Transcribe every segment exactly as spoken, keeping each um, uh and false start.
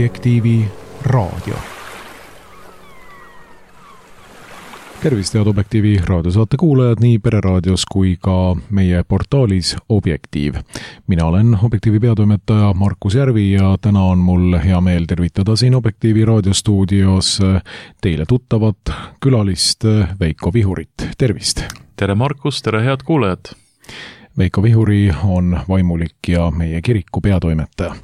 Objektiivi raadio. Tervist, head Objektiivi raadiosaate kuulajad nii Pereraadios kui ka meie portaalis Objektiiv. Mina olen Objektiivi peatoimetaja Markus Järvi ja täna on mul hea meel tervitada siin Objektiivi raadiostuudios teile tuttavat külalist Veiko Vihurit. Tervist! Tere Markus, tere head kuulajad! Veiko Vihuri on vaimulik ja meie kiriku peatoimetaja.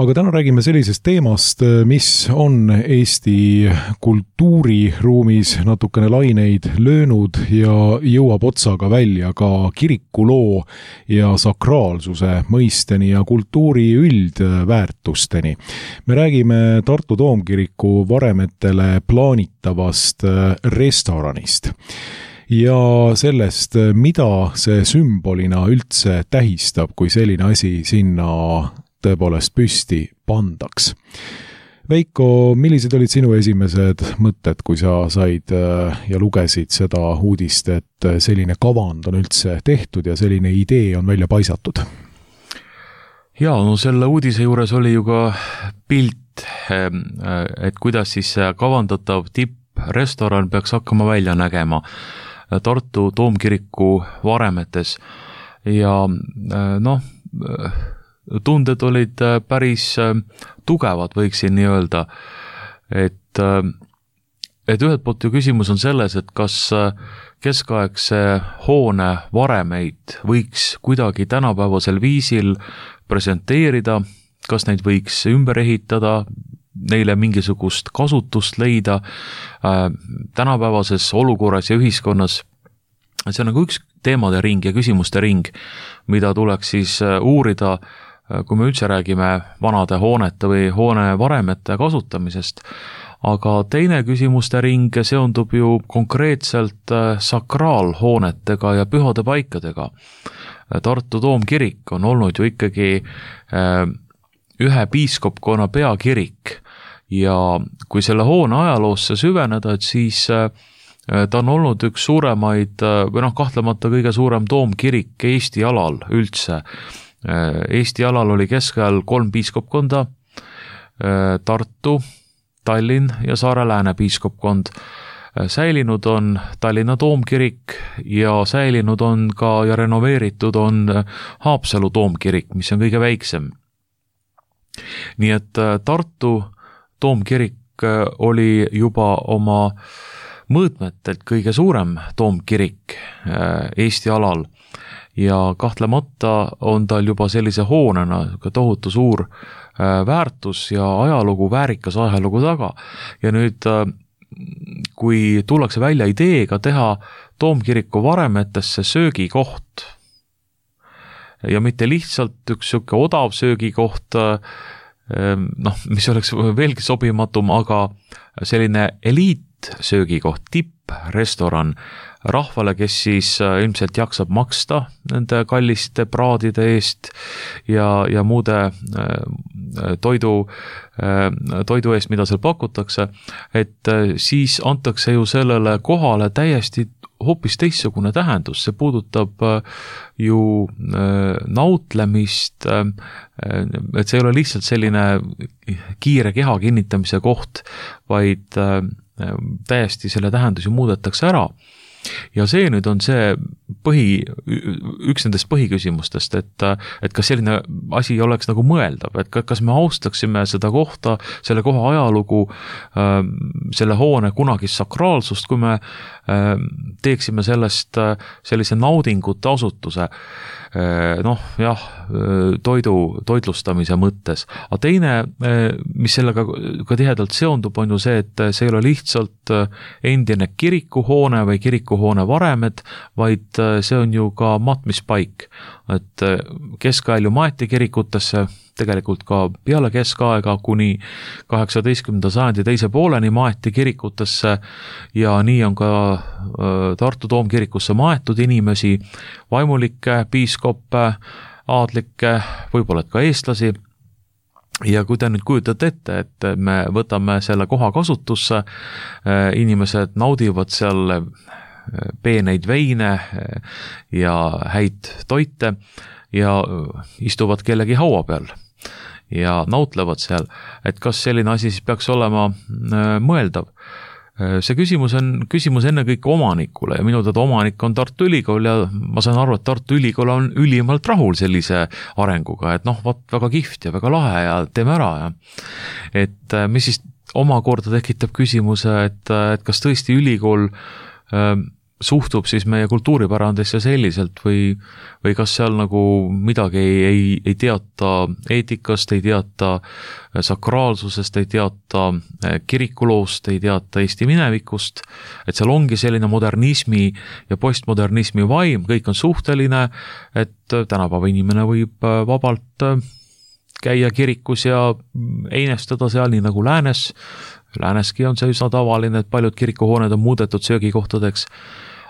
Aga täna räägime sellisest teemast, mis on Eesti kultuuriruumis natukene laineid löönud ja jõuab otsaga välja ka kirikuloo ja sakraalsuse mõisteni ja kultuuri üldväärtusteni. Me räägime Tartu Toomkiriku varemetele plaanitavast restoranist ja sellest, mida see sümbolina üldse tähistab, kui selline asi sinna tõepoolest püsti pandaks. Veiko, millised olid sinu esimesed mõtted, kui sa said ja lugesid seda uudist, et selline kavand on üldse tehtud ja selline idee on välja paisatud? Ja, no selle uudise juures oli ju ka pilt, et kuidas siis kavandatav tipprestoran peaks hakkama välja nägema Tartu Toomkiriku varemetes ja noh, tunded olid päris tugevad, võiksin nii öelda, et, et ühelt poolt ju küsimus on selles, et kas keskaegse hoone varemeid võiks kuidagi tänapäevasel viisil presenteerida, kas neid võiks ümber ehitada, neile mingisugust kasutust leida äh, tänapäevases olukorras ja ühiskonnas. See on nagu üks teemade ring ja küsimuste ring, mida tuleks siis uurida, kui me üldse räägime vanade hoonete või hoone varemete kasutamisest. Aga teine küsimuste ring seondub ju konkreetselt sakraalhoonetega ja pühade paikadega. Tartu Toomkirik on olnud ju ikkagi ühe piiskopkonna peakirik ja kui selle hoone ajaloosse süveneda, et siis ta on olnud üks suuremaid või noh, kahtlemata kõige suurem toomkirik Eesti alal üldse. Eesti alal oli keskajal kolm piiskopkonda, Tartu, Tallinn ja Saare-Lääne piiskopkond. Säilinud on Tallinna Toomkirik ja säilinud on ka ja renoveeritud on Haapsalu Toomkirik, mis on kõige väiksem. Nii et Tartu Toomkirik oli juba oma mõõtmetelt kõige suurem toomkirik Eesti alal ja kahtlemata on tal juba sellise hoonena tohutu suur väärtus ja ajalugu, väärikas ajalugu taga. Ja nüüd, kui tullakse välja ideega teha Toomkiriku varemetesse söögikoht ja mitte lihtsalt üks siuke odav söögikoht, noh, mis oleks veelgi sobimatum, aga selline eliit söögikoht, tipprestoran rahvale, kes siis ilmselt jaksab maksta nende kalliste praadide eest ja, ja muude toidu, toidu eest, mida seal pakutakse, et siis antakse ju sellele kohale täiesti hoopis teistsugune tähendus. See puudutab ju nautlemist, et see ei ole lihtsalt selline kiire keha kinnitamise koht, vaid täiesti selle tähendus ju muudetakse ära. Ja see nüüd on see põhi, üks nendest põhiküsimustest, et, et kas selline asi oleks nagu mõeldav, et kas me austaksime seda kohta, selle koha ajalugu, selle hoone kunagist sakraalsust, kui me teeksime sellest sellise naudingute asutuse, noh, jah, toidu, toitlustamise mõttes. Aga teine, mis sellega ka tihedalt seondub, on ju see, et see ei ole lihtsalt endine kirikuhoone või kirikuhoone varemed, vaid see on ju ka matmispaik. Et keskajal ju maeti kirikutesse, tegelikult ka peale keskaega kuni kaheksateistkümnenda sajandi teise pooleni maeti kirikutesse ja nii on ka Tartu Toomkirikusse maetud inimesi, vaimulikke, piiskoppe, aadlikke, võib-olla ka eestlasi. Ja kui te nüüd kujutate ette, et me võtame selle koha kasutusse, inimesed naudivad seal peeneid veine ja häid toite ja istuvad kellegi haua peal. ja nautlevad seal, et kas selline asi siis peaks olema mõeldav. See küsimus on küsimus ennekõike omanikule ja minu teada omanik on Tartu Ülikool ja ma saan aru, et Tartu Ülikool on ülimalt rahul sellise arenguga, et noh, vaat väga kihvt ja väga lahe ja teeme ära ja et mis siis omakorda tekitab küsimuse, et, et kas tõesti ülikool äh, suhtub siis meie kultuuripärandisse selliselt või, või kas seal nagu midagi ei, ei, ei teata eetikast, ei teata sakraalsusest, ei teata kirikuloost, ei teata Eesti minevikust, et seal ongi selline modernismi ja postmodernismi vaim, kõik on suhteline, et tänapäeva inimene võib vabalt käia kirikus ja einestada seal nii nagu läänes. Lääneski on see üsna tavaline, et paljud kirikuhooned on muudetud söögikohtadeks.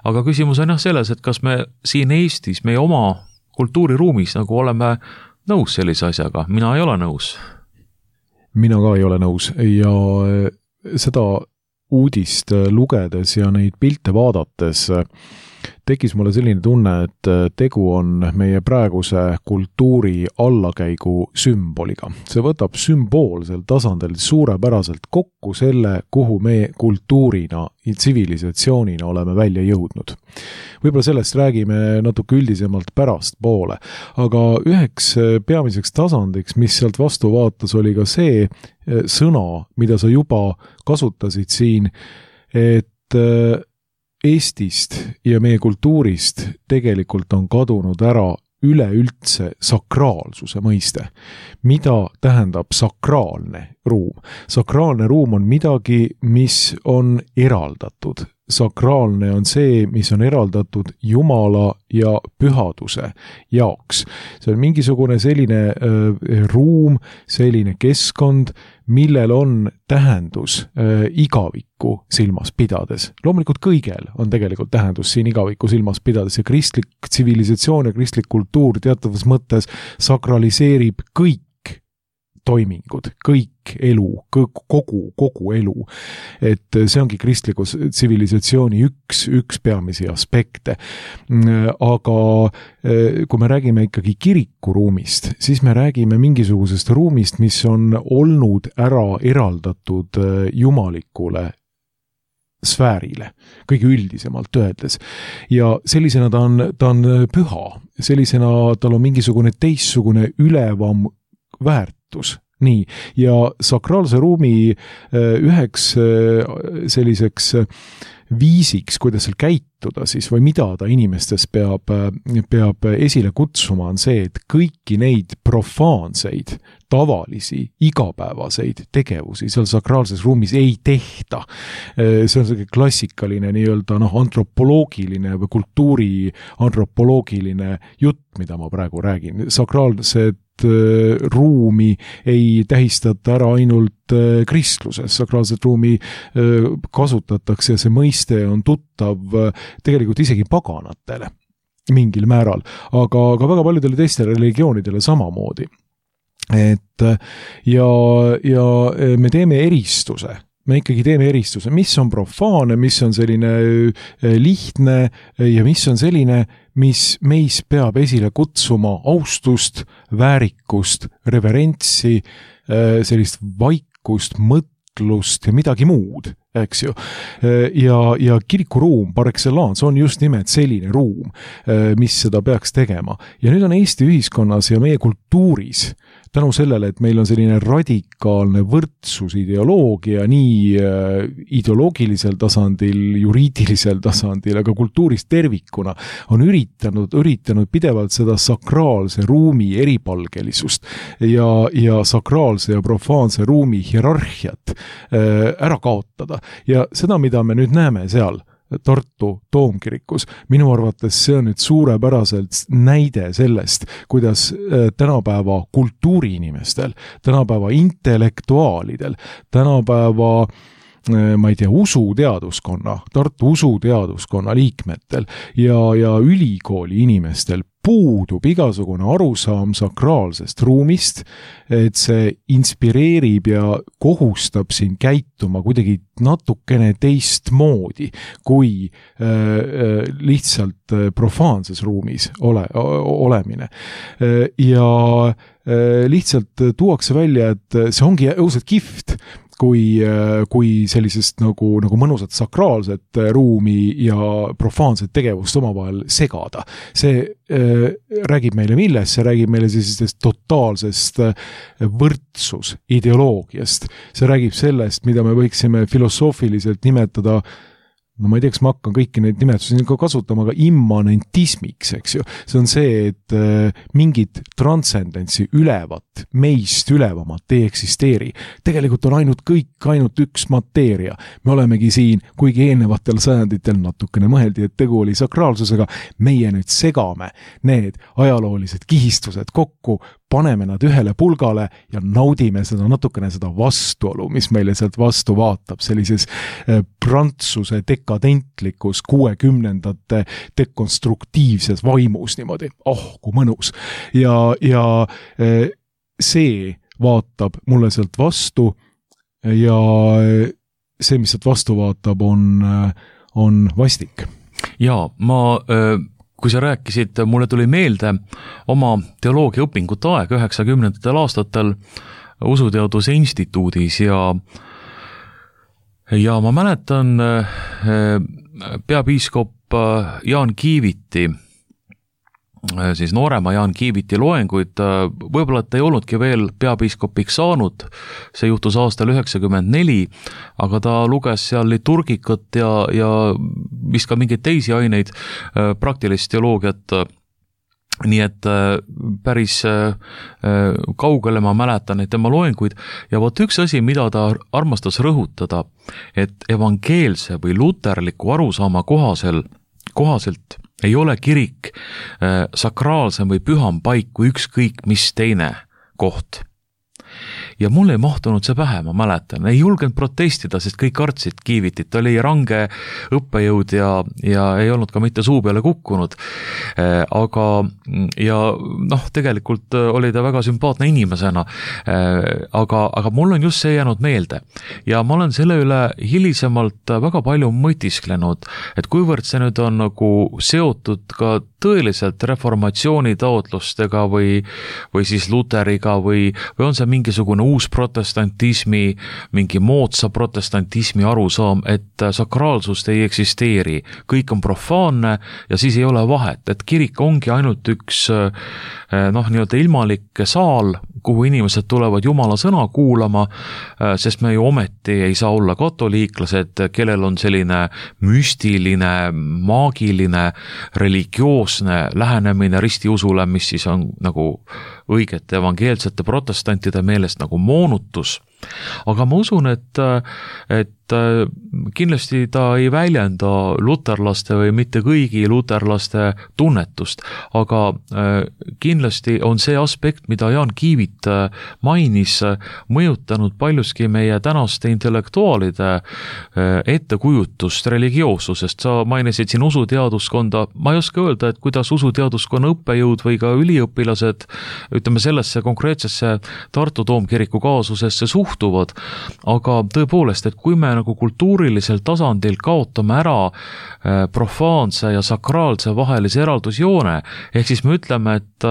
Aga küsimus on jah selles, et kas me siin Eestis, meie oma kultuuriruumis nagu oleme nõus sellise asjaga. Mina ei ole nõus. Mina ka ei ole nõus ja seda uudist lugedes ja neid pilte vaadates tekkis mulle selline tunne, et tegu on meie praeguse kultuuri allakäigu sümboliga. See võtab sümboolsel tasandil suurepäraselt kokku selle, kuhu me kultuurina ja tsivilisatsioonina oleme välja jõudnud. Võib-olla sellest räägime natuke üldisemalt pärast poole, aga üheks peamiseks tasandiks, mis sealt vastu vaatas, oli ka see sõna, mida sa juba kasutasid siin, et Eestist ja meie kultuurist tegelikult on kadunud ära üleüldse sakraalsuse mõiste. Mida tähendab sakraalne ruum? Sakraalne ruum on midagi, mis on eraldatud. Sakraalne on see, mis on eraldatud Jumala ja pühaduse jaoks. See on mingisugune selline äh, ruum, selline keskkond, millel on tähendus äh, igavikku silmas pidades. Loomulikult kõigel on tegelikult tähendus siin igavikku silmas pidades ja kristlik tsivilisatsioon ja kristlik kultuur teatavas mõttes sakraliseerib kõik toimingud, kõik elu, kogu, kogu elu. Et see ongi kristliku tsivilisatsiooni üks, üks peamisi aspekte. Aga kui me räägime ikkagi kirikuruumist, siis me räägime mingisugusest ruumist, mis on olnud ära eraldatud jumalikule sfäärile, kõige üldisemalt öeldes. Ja sellisena ta on, ta on püha, sellisena tal on mingisugune teistsugune ülevam väärt. Nii, ja sakraalse ruumi üheks selliseks viisiks, kuidas seal käituda siis või mida ta inimestes peab, peab esile kutsuma, on see, et kõiki neid profaanseid, tavalisi, igapäevaseid tegevusi seal sakraalses ruumis ei tehta. See on selline klassikaline nii-öelda noh, antropoloogiline või kultuuri antropoloogiline jutt, mida ma praegu räägin. Sakraalsed ruumi ei tähistata ära ainult kristluses. Sakraalset ruumi kasutatakse ja see mõiste on tuttav tegelikult isegi paganatele mingil määral, aga, aga väga paljudele teistele religioonidele samamoodi. Et ja, ja me teeme eristuse. Me ikkagi teeme eristuse, mis on profaane, mis on selline lihtne ja mis on selline, mis meis peab esile kutsuma austust, väärikust, reverentsi, sellist vaikust, mõtlust ja midagi muud, eks ju. Ja, ja kirikuruum par excellence on just nimelt selline ruum, mis seda peaks tegema. Ja nüüd on Eesti ühiskonnas ja meie kultuuris tänu sellele, et meil on selline radikaalne võrdsusideoloogia nii ideoloogilisel tasandil, juriidilisel tasandil, aga kultuuris tervikuna on üritanud, üritanud pidevalt seda sakraalse ruumi eripalgelisust ja, ja sakraalse ja profaanse ruumi hierarhiat ära kaotada. Ja seda, mida me nüüd näeme seal Tartu Toomkirikus, minu arvates see on nüüd suurepäraselt näide sellest, kuidas tänapäeva kultuuriinimestel, tänapäeva intellektuaalidel, tänapäeva ma ei tea, usuteaduskonna, Tartu usuteaduskonna liikmetel ja, ja ülikooli inimestel puudub igasugune arusaam sakraalsest ruumist, et see inspireerib ja kohustab sind käituma kuidagi natukene teistmoodi kui äh, lihtsalt profaanses ruumis ole, olemine. Ja äh, lihtsalt tuuakse välja, et see ongi õudselt kihvt, kui, kui sellisest nagu, nagu mõnusat sakraalset ruumi ja profaanset tegevust omavahel segada. See äh, räägib meile millest? See räägib meile sellisest totaalsest võrdsus ideoloogiast. See räägib sellest, mida me võiksime filosoofiliselt nimetada, no ma ei tea, kas ma hakkan kõiki neid nimetusi ka kasutama, aga immanentismiks, eks ju. See on see, et äh, mingit transcendentsi ülevat, meist ülevamat ei eksisteeri. Tegelikult on ainult kõik, ainult üks mateeria. Me olemegi siin, kuigi eelnevatel sajanditel natukene mõeldi, et tegu oli sakraalsusega, meie nüüd segame need ajaloolised kihistused kokku, paneme nad ühele pulgale ja naudime seda natukene seda vastuolu, mis meile sealt vastu vaatab, sellises prantsuse dekadentlikus kuuekümnendate dekonstruktiivses vaimus niimoodi. Oh, kui mõnus. Ja, ja see vaatab mulle sealt vastu ja see, mis sealt vastu vaatab, on, on vastik. Ja, ma... Öö... kui sa rääkisid, mulle tuli meelde oma teoloogia õpingute aeg üheksakümnendatel aastatel Usuteaduse instituudis ja ja ma mäletan peapiiskop Jaan Kiiviti, siis noorema Jaan Kiiviti loenguid, võib-olla ta ei olnudki veel peapiiskopiks saanud, see juhtus aastal üheksakümmend neli, aga ta luges seal liturgikat ja, ja vist ka mingeid teisi aineid, praktilist teoloogiat, nii et päris kaugele ma mäletan neid tema loenguid ja võt üks asi, mida ta armastas rõhutada, et evangeelse või luterliku arusaama kohasel, kohaselt ei ole kirik äh, sakraalsem või püham paik kui ükskõik mis teine koht. Ja mul ei mahtunud see pähe, ma mäletan. Ei julgenud protestida, sest kõik kartsid Kiivitit. Ta oli range õppejõud ja, ja ei olnud ka mitte suu peale kukkunud. Äh, aga, ja noh, tegelikult oli ta väga sümpaatne inimesena. Äh, aga, aga mul on just see jäänud meelde. Ja ma olen selle üle hilisemalt väga palju mõtisklenud, et kuivõrd see nüüd on nagu seotud ka tõeliselt reformatsiooni taotlustega või, või siis Luteriga või, või on see mingisugune uus protestantismi, mingi moodsa protestantismi arusaam, et sakraalsust ei eksisteeri. Kõik on profaanne ja siis ei ole vahet, et kirik ongi ainult üks noh, nii-öelda ilmalik saal, kuhu inimesed tulevad Jumala sõna kuulama, sest me ju ometi ei saa olla katoliiklased, kellel on selline müstiline, maagiline, religioosne lähenemine ristiusule, mis siis on nagu õigete evangeelsete protestantide meelest nagu moonutus. Aga ma usun, et, et kindlasti ta ei väljenda luterlaste või mitte kõigi luterlaste tunnetust, aga kindlasti on see aspekt, mida Jaan Kiivit mainis, mõjutanud paljuski meie tänaste intellektuaalide ettekujutust religioossusest. Sa mainisid siin usuteaduskonda, ma ei oska öelda, et kuidas usuteaduskonna õppejõud või ka üliõpilased, ütleme sellesse konkreetsesse Tartu Toomkiriku kaasusesse suhtuvad, aga tõepoolest, et kui me nagu kultuurilisel tasandil kaotame ära profaanse ja sakraalse vahelise eraldusjoone, ehk siis me ütleme, et,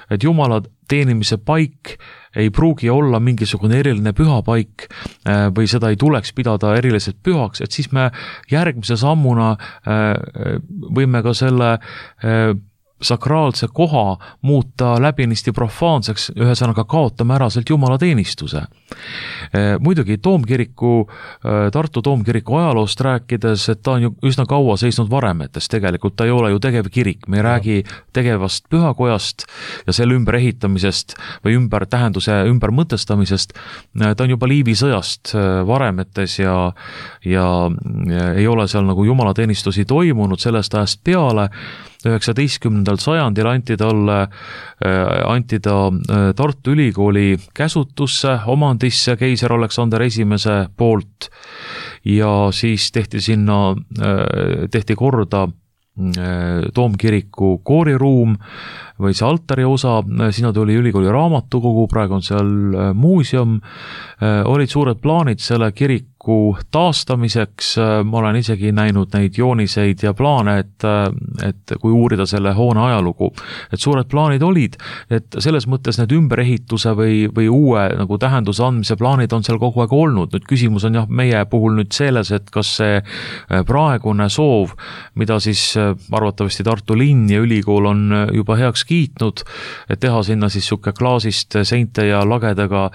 et Jumala teenimise paik ei pruugi olla mingisugune eriline pühapaik või seda ei tuleks pidada eriliselt pühaks, et siis me järgmise sammuna võime ka selle sakraalse koha muuta läbinisti profaanseks, ühesõnaga kaotame ära sealt Jumala teenistuse. Muidugi Toomkiriku, Tartu Toomkiriku ajaloost rääkides, et ta on ju üsna kaua seisnud varemetes, tegelikult ta ei ole ju tegev kirik, me ei räägi tegevast pühakojast ja selle ümber ehitamisest või ümber tähenduse ümber mõtestamisest, ta on juba Liivi sõjast varemetes ja, ja, ja ei ole seal nagu Jumala teenistusi toimunud sellest ajast peale. üheksateistkümnendal sajandil anti talle, anti ta Tartu Ülikooli käsutusse, omandisse keiser Aleksander esimese poolt ja siis tehti sinna, tehti korda Toomkiriku kooriruum või see altari osa, sinna tuli ülikooli raamatukogu, praegu on seal muuseum, olid suured plaanid selle kiriku taastamiseks, ma olen isegi näinud neid jooniseid ja plaane, et, et kui uurida selle hoone ajalugu, et suured plaanid olid, et selles mõttes need ümberehituse või, või uue nagu tähenduse andmise plaanid on seal kogu aeg olnud. Nüüd küsimus on jah meie puhul nüüd selles, et kas see praegune soov, mida siis arvatavasti Tartu linn ja ülikool on juba heaks kiitnud, et teha sinna siis suke klaasist seinte ja lagedega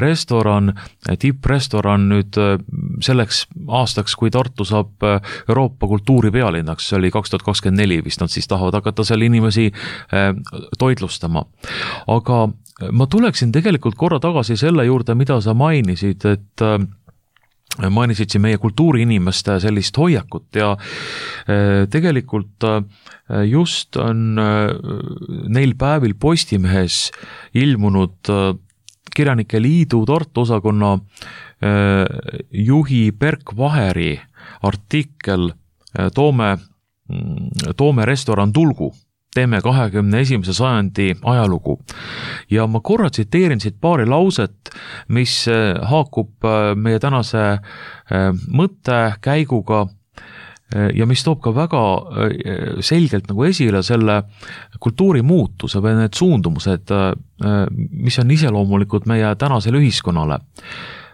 restoran, tipprestoran nüüd selleks aastaks, kui Tartu saab Euroopa kultuuripealinnaks, see oli kaks tuhat kakskümmend neli vist, nad siis tahavad hakata seal inimesi toitlustama. Aga ma tuleksin tegelikult korra tagasi selle juurde, mida sa mainisid, et mainisid siin meie kultuuriinimeste sellist hoiakut ja tegelikult just on neil päevil Postimehes ilmunud Kirjanike Liidu Tartu osakonna juhi Berk Vaheri artikkel Toome, Toome restoran tulgu, teeme kahekümne esimese sajandi ajalugu. Ja ma korra tsiteerin siit paari lauset, mis haakub meie tänase mõtte käiguga ja mis toob ka väga selgelt nagu esile selle kultuurimuutuse või need suundumused, mis on iseloomulikud meie tänasele ühiskonnale.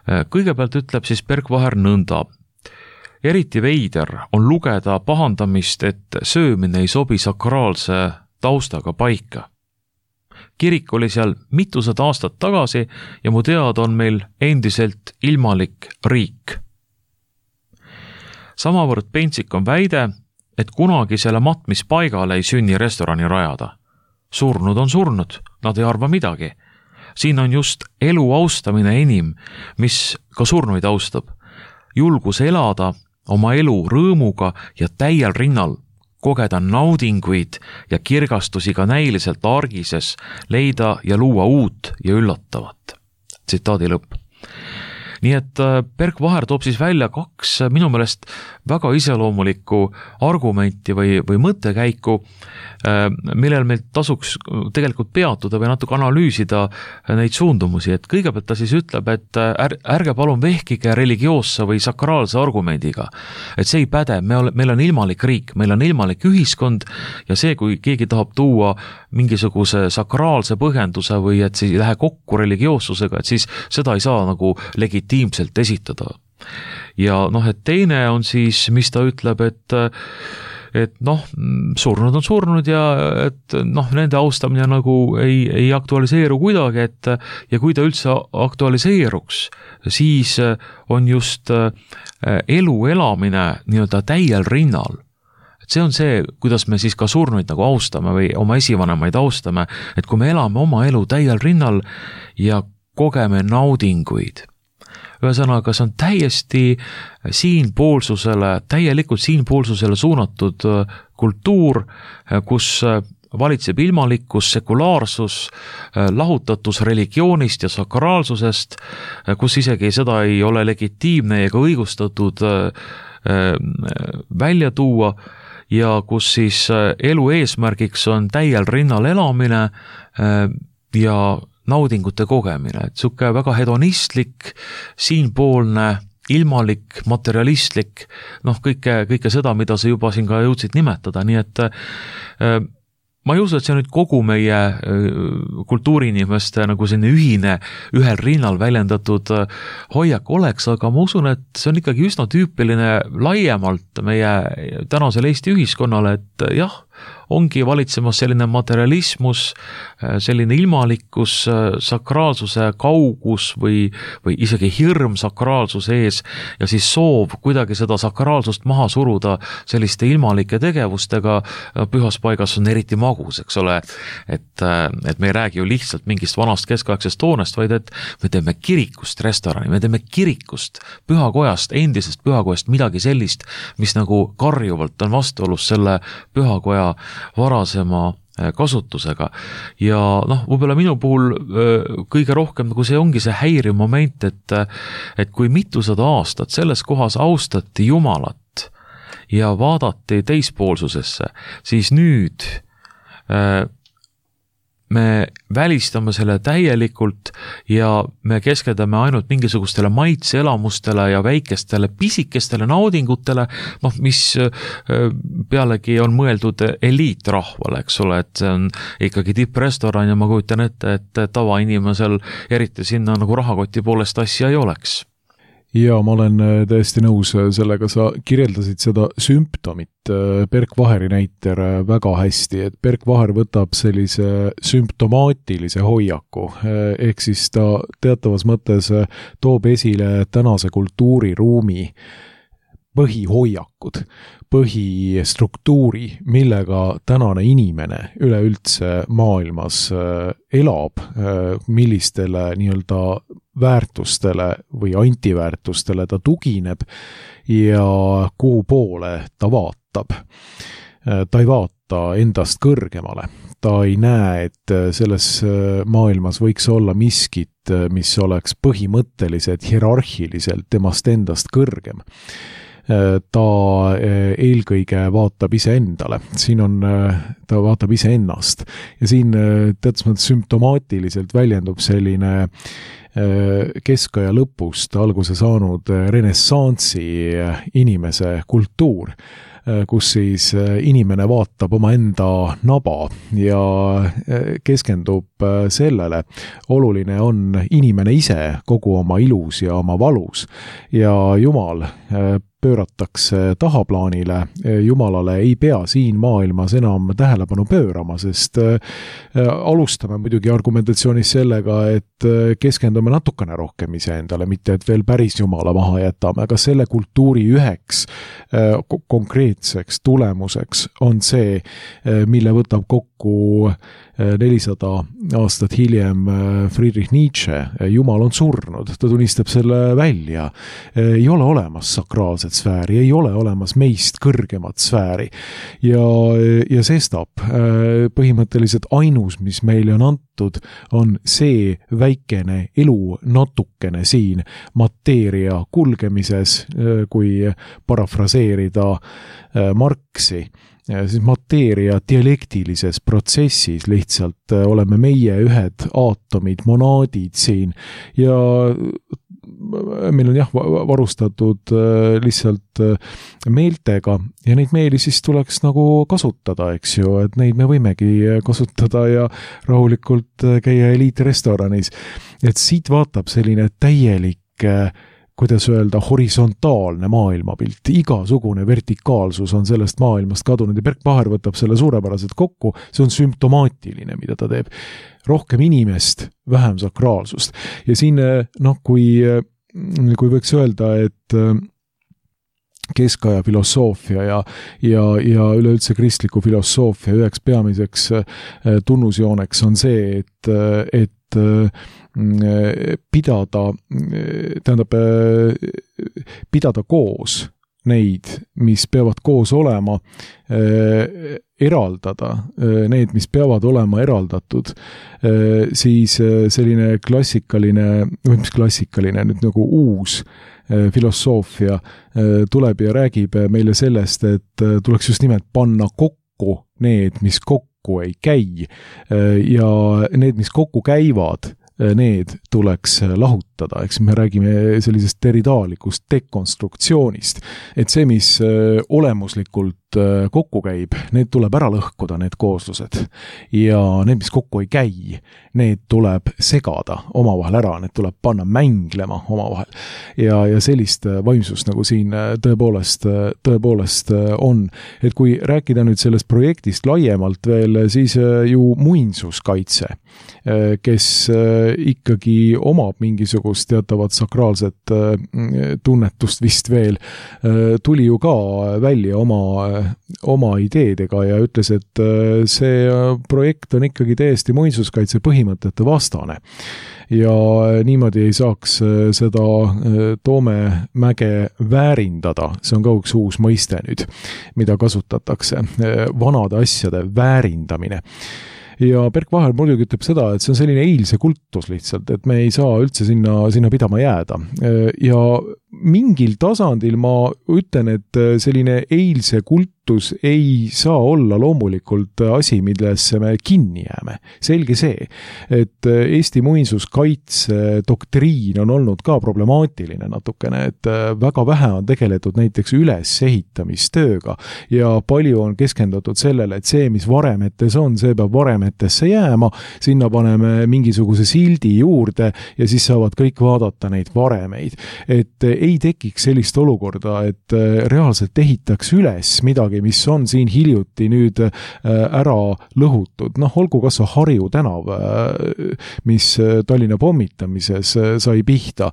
Kõigepealt ütleb siis Berk Vaher nõnda. Eriti veider on lugeda pahandamist, et söömine ei sobi sakraalse taustaga paika. Kirik oli seal mitused aastad tagasi ja mu teada on meil endiselt ilmalik riik. Samavõrd pentsik on väide, et kunagi selle matmispaigale ei sünni restorani rajada. Surnud on surnud, nad ei arva midagi. Siin on just elu austamine enim, mis ka surnuid austab. Julgus elada oma elu rõõmuga ja täiel rinnal, kogeda naudinguid ja kirgastusi ka näiliselt argises, leida ja luua uut ja üllatavat. Tsitaadi lõpp. Nii et Berk Vaher toob siis välja kaks minu meelest väga iseloomulikku argumenti või, või mõttekäiku, millel meil tasuks tegelikult peatuda või natuke analüüsida neid suundumusi, et kõigepealt ta siis ütleb, et ärge palun vehkige religioosse või sakraalse argumendiga, et see ei päde, me ole, meil on ilmalik riik, meil on ilmalik ühiskond ja see, kui keegi tahab tuua mingisuguse sakraalse põhjenduse või et see ei lähe kokku religioossusega, et siis seda ei saa nagu legitiimselt esitada. Ja noh, et teine on siis, mis ta ütleb, et et noh, surnud on surnud ja et noh, nende austamine nagu ei, ei aktualiseeru kuidagi, et ja kui ta üldse aktualiseeruks, siis on just elu elamine nii-öelda täiel rinnal. Et see on see, kuidas me siis ka surnuid nagu austame või oma esivanemaid austame, et kui me elame oma elu täiel rinnal ja kogeme naudinguid. Ühesõnaga, see on täiesti siinpoolsusele, täielikult siinpoolsusele suunatud kultuur, kus valitseb ilmalikkus, sekulaarsus, lahutatus religioonist ja sakraalsusest, kus isegi seda ei ole legitiimne ega õigustatud välja tuua ja kus siis elu eesmärgiks on täiel rinnal elamine ja naudingute kogemine, et suke väga hedonistlik, siinpoolne, ilmalik, materialistlik, noh kõike, kõike seda, mida sa juba siin ka jõudsid nimetada, nii et äh, ma ei usu, et see nüüd kogu meie kultuuriinimeste nagu selline ühine, ühel rinnal väljendatud hoiak oleks, aga ma usun, et see on ikkagi üsna tüüpiline laiemalt meie tänasel Eesti ühiskonnale, et jah, ongi valitsemas selline materialismus, selline ilmalikkus, sakraalsuse kaugus või, või isegi hirm sakraalsuse ees ja siis soov kuidagi seda sakraalsust maha suruda selliste ilmalike tegevustega pühas paigas on eriti magus, eks ole, et, et me ei räägi ju lihtsalt mingist vanast keskaegsest hoonest, vaid et me teeme kirikust restorani, me teeme kirikust, pühakojast, endisest pühakojast midagi sellist, mis nagu karjuvalt on vastuolus selle pühakoja varasema kasutusega ja noh, võib-olla minu puhul kõige rohkem nagu see ongi see häiriv moment, et, et kui mitusada aastat selles kohas austati Jumalat ja vaadati teispoolsusesse, siis nüüd äh, me välistame selle täielikult ja me keskendume ainult mingisugustele maitseelamustele ja väikestele pisikestele naudingutele, noh, mis pealegi on mõeldud eliitrahvale, eks ole, et see on ikkagi tipprestoran ja ma kujutan ette, et tavainimesel eriti sinna nagu rahakoti poolest asja ei oleks. Ja ma olen täiesti nõus sellega, sa kirjeldasid seda sümptomit Berk Vaheri näiter väga hästi, et Berk Vaher võtab sellise sümptomaatilise hoiaku, ehk siis ta teatavas mõttes toob esile tänase kultuuriruumi põhihoiakud, põhistruktuuri, millega tänane inimene üleüldse maailmas elab, millistele nii-öelda väärtustele või antiväärtustele ta tugineb ja kuhu poole ta vaatab. Ta ei vaata endast kõrgemale. Ta ei näe, et selles maailmas võiks olla miskit, mis oleks põhimõtteliselt hierarhiliselt temast endast kõrgem. Ta eelkõige vaatab iseendale, siin on, ta vaatab iseennast ja siin teatud mõttes sümptomaatiliselt väljendub selline keskaja lõpust alguse saanud renessansi inimese kultuur, kus siis inimene vaatab oma enda naba ja keskendub sellele. Oluline on inimene ise kogu oma ilus ja oma valus ja Jumal pööratakse tahaplaanile, Jumalale ei pea siin maailmas enam tähelepanu pöörama, sest alustame muidugi argumentatsioonis sellega, et keskendume natukene rohkem iseendale, mitte et veel päris Jumala maha jätame, aga selle kultuuri üheks konkreetseks tulemuseks on see, mille võtab kokku nelisada aastat hiljem Friedrich Nietzsche, Jumal on surnud, ta tunnistab selle välja. Ei ole olemas sakraalset sfääri, ei ole olemas meist kõrgemat sfääri ja, ja sestap põhimõtteliselt ainus, mis meile on antud, on see väikene elu natukene siin mateeria kulgemises, kui parafraseerida Marxi, siis mateeria dialektilises protsessis lihtsalt oleme meie ühed aatomid, monaadid siin ja meil on jah varustatud lihtsalt meeltega ja neid meeli siis tuleks nagu kasutada, eks ju, et neid me võimegi kasutada ja rahulikult käia eliitrestoranis. Et siit vaatab selline täielik kuidas öelda, horisontaalne maailmapilt, igasugune vertikaalsus on sellest maailmast kadunud ja Berk Vaher võtab selle suurepäraselt kokku, see on sümptomaatiline, mida ta teeb. Rohkem inimest, vähem sakraalsust. Ja siin, noh, kui, kui võiks öelda, et keskaja filosoofia ja, ja, ja üleüldse kristliku filosoofia üheks peamiseks tunnusjooneks on see, et, et pidada, tähendab, pidada koos neid, mis peavad koos olema, eraldada need, mis peavad olema eraldatud, siis selline klassikaline, või mis klassikaline, nüüd nagu uus filosoofia tuleb ja räägib meile sellest, et tuleks just nimelt panna kokku need, mis kokku ei käi ja need, mis kokku käivad, need tuleks lahutada, eks me räägime sellisest teridaalikust dekonstruktsioonist, et see, mis olemuslikult kokku käib, need tuleb ära lõhkuda, need kooslused ja need, mis kokku ei käi, need tuleb segada omavahel ära, need tuleb panna mänglema omavahel ja, ja sellist vaimsust nagu siin tõepoolest, tõepoolest on, et kui rääkida nüüd sellest projektist laiemalt veel, siis ju muinsuskaitse, kes ikkagi omab mingisugust teatavat sakraalset tunnetust vist veel, tuli ju ka välja oma, oma ideedega ja ütles, et see projekt on ikkagi täiesti muinsuskaitse põhimõtete vastane. Ja niimoodi ei saaks seda Toomemäge väärindada, see on ka üks uus mõiste nüüd, mida kasutatakse, vanade asjade väärindamine. Ja Berk Vaher muidugi ütleb seda, et see on selline eilse kultus lihtsalt, et me ei saa üldse sinna, sinna pidama jääda. Ja mingil tasandil ma ütlen, et selline eilse kultus ei saa olla loomulikult asi, millesse me kinni jääme. Selge see, et Eesti muinsuskaitse doktriin on olnud ka problemaatiline natukene, et väga vähe on tegeletud näiteks ülesehitamistööga ja palju on keskendatud sellele, et see, mis varemetes on, see peab varemetesse jääma, sinna paneme mingisuguse sildi juurde ja siis saavad kõik vaadata neid varemeid. Et ei tekiks sellist olukorda, et reaalselt ehitaks üles midagi, mis on siin hiljuti nüüd ära lõhutud. Noh, olgu kas Harju tänav, mis Tallinna pommitamises sai pihta.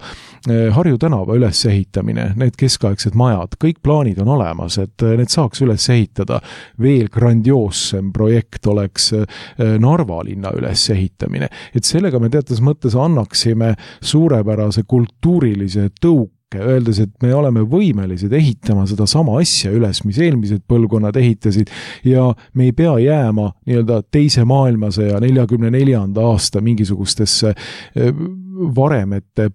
Harju tänava ülesehitamine, need keskaegsed majad, kõik plaanid on olemas, et need saaks üles ehitada. Veel grandioossem projekt oleks Narva linna ülesehitamine. Et sellega me teatas mõttes annaksime suurepärase kultuurilise tõuke, öeldes, et me oleme võimelised ehitama seda sama asja üles, mis eelmised põlvkonnad ehitasid ja me ei pea jääma nii-öelda teise maailmasõja neljakümne neljanda aasta mingisugustesse varemete,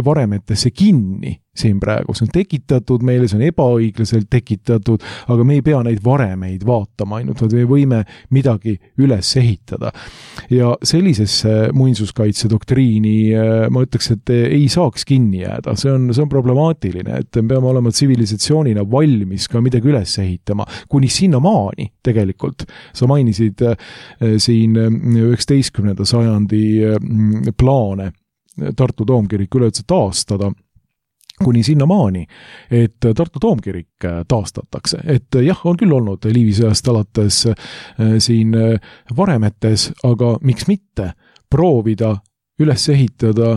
varemetesse kinni siin praegu. See on tekitatud meile, see on ebaõiglaselt tekitatud, aga me ei pea neid varemeid vaatama ainult, vaid me võime midagi üles ehitada. Ja sellisesse muinsuskaitse doktriini ma ütleks, et ei saaks kinni jääda. See on, see on problemaatiline, et me peame olema tsivilisatsioonina valmis ka midagi üles ehitama. Kuni sinna maani tegelikult. Sa mainisid siin üheksateistkümnenda sajandi plaane Tartu Toomkirik üleüldse taastada, kuni sinna maani, et Tartu Toomkirik taastatakse. Et jah, on küll olnud Liivisõjast alates siin varemetes, aga miks mitte proovida üles ehitada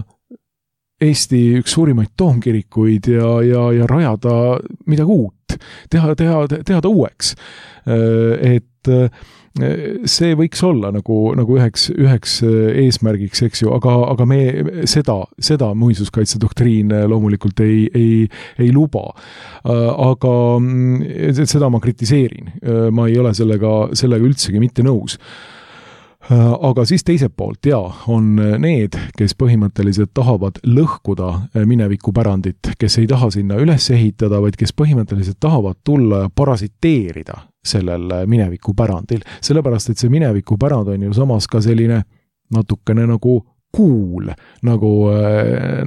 Eesti üks suurimaid toomkirikuid ja, ja, ja rajada midagi uut, teha, teha, teha ta uueks. Et see võiks olla nagu, nagu üheks, üheks eesmärgiks, eks ju, aga, aga me seda, seda muinsuskaitse doktriin loomulikult ei, ei, ei luba. Aga seda ma kritiseerin. Ma ei ole sellega, sellega üldsegi mitte nõus. Aga siis teiselt poolt, jaa, on need, kes põhimõtteliselt tahavad lõhkuda minevikupärandit, kes ei taha sinna üles ehitada, vaid kes põhimõtteliselt tahavad tulla ja parasiteerida sellel minevikupärandil. Sellepärast, et see minevikupärand on ju samas ka selline natukene nagu kuul, nagu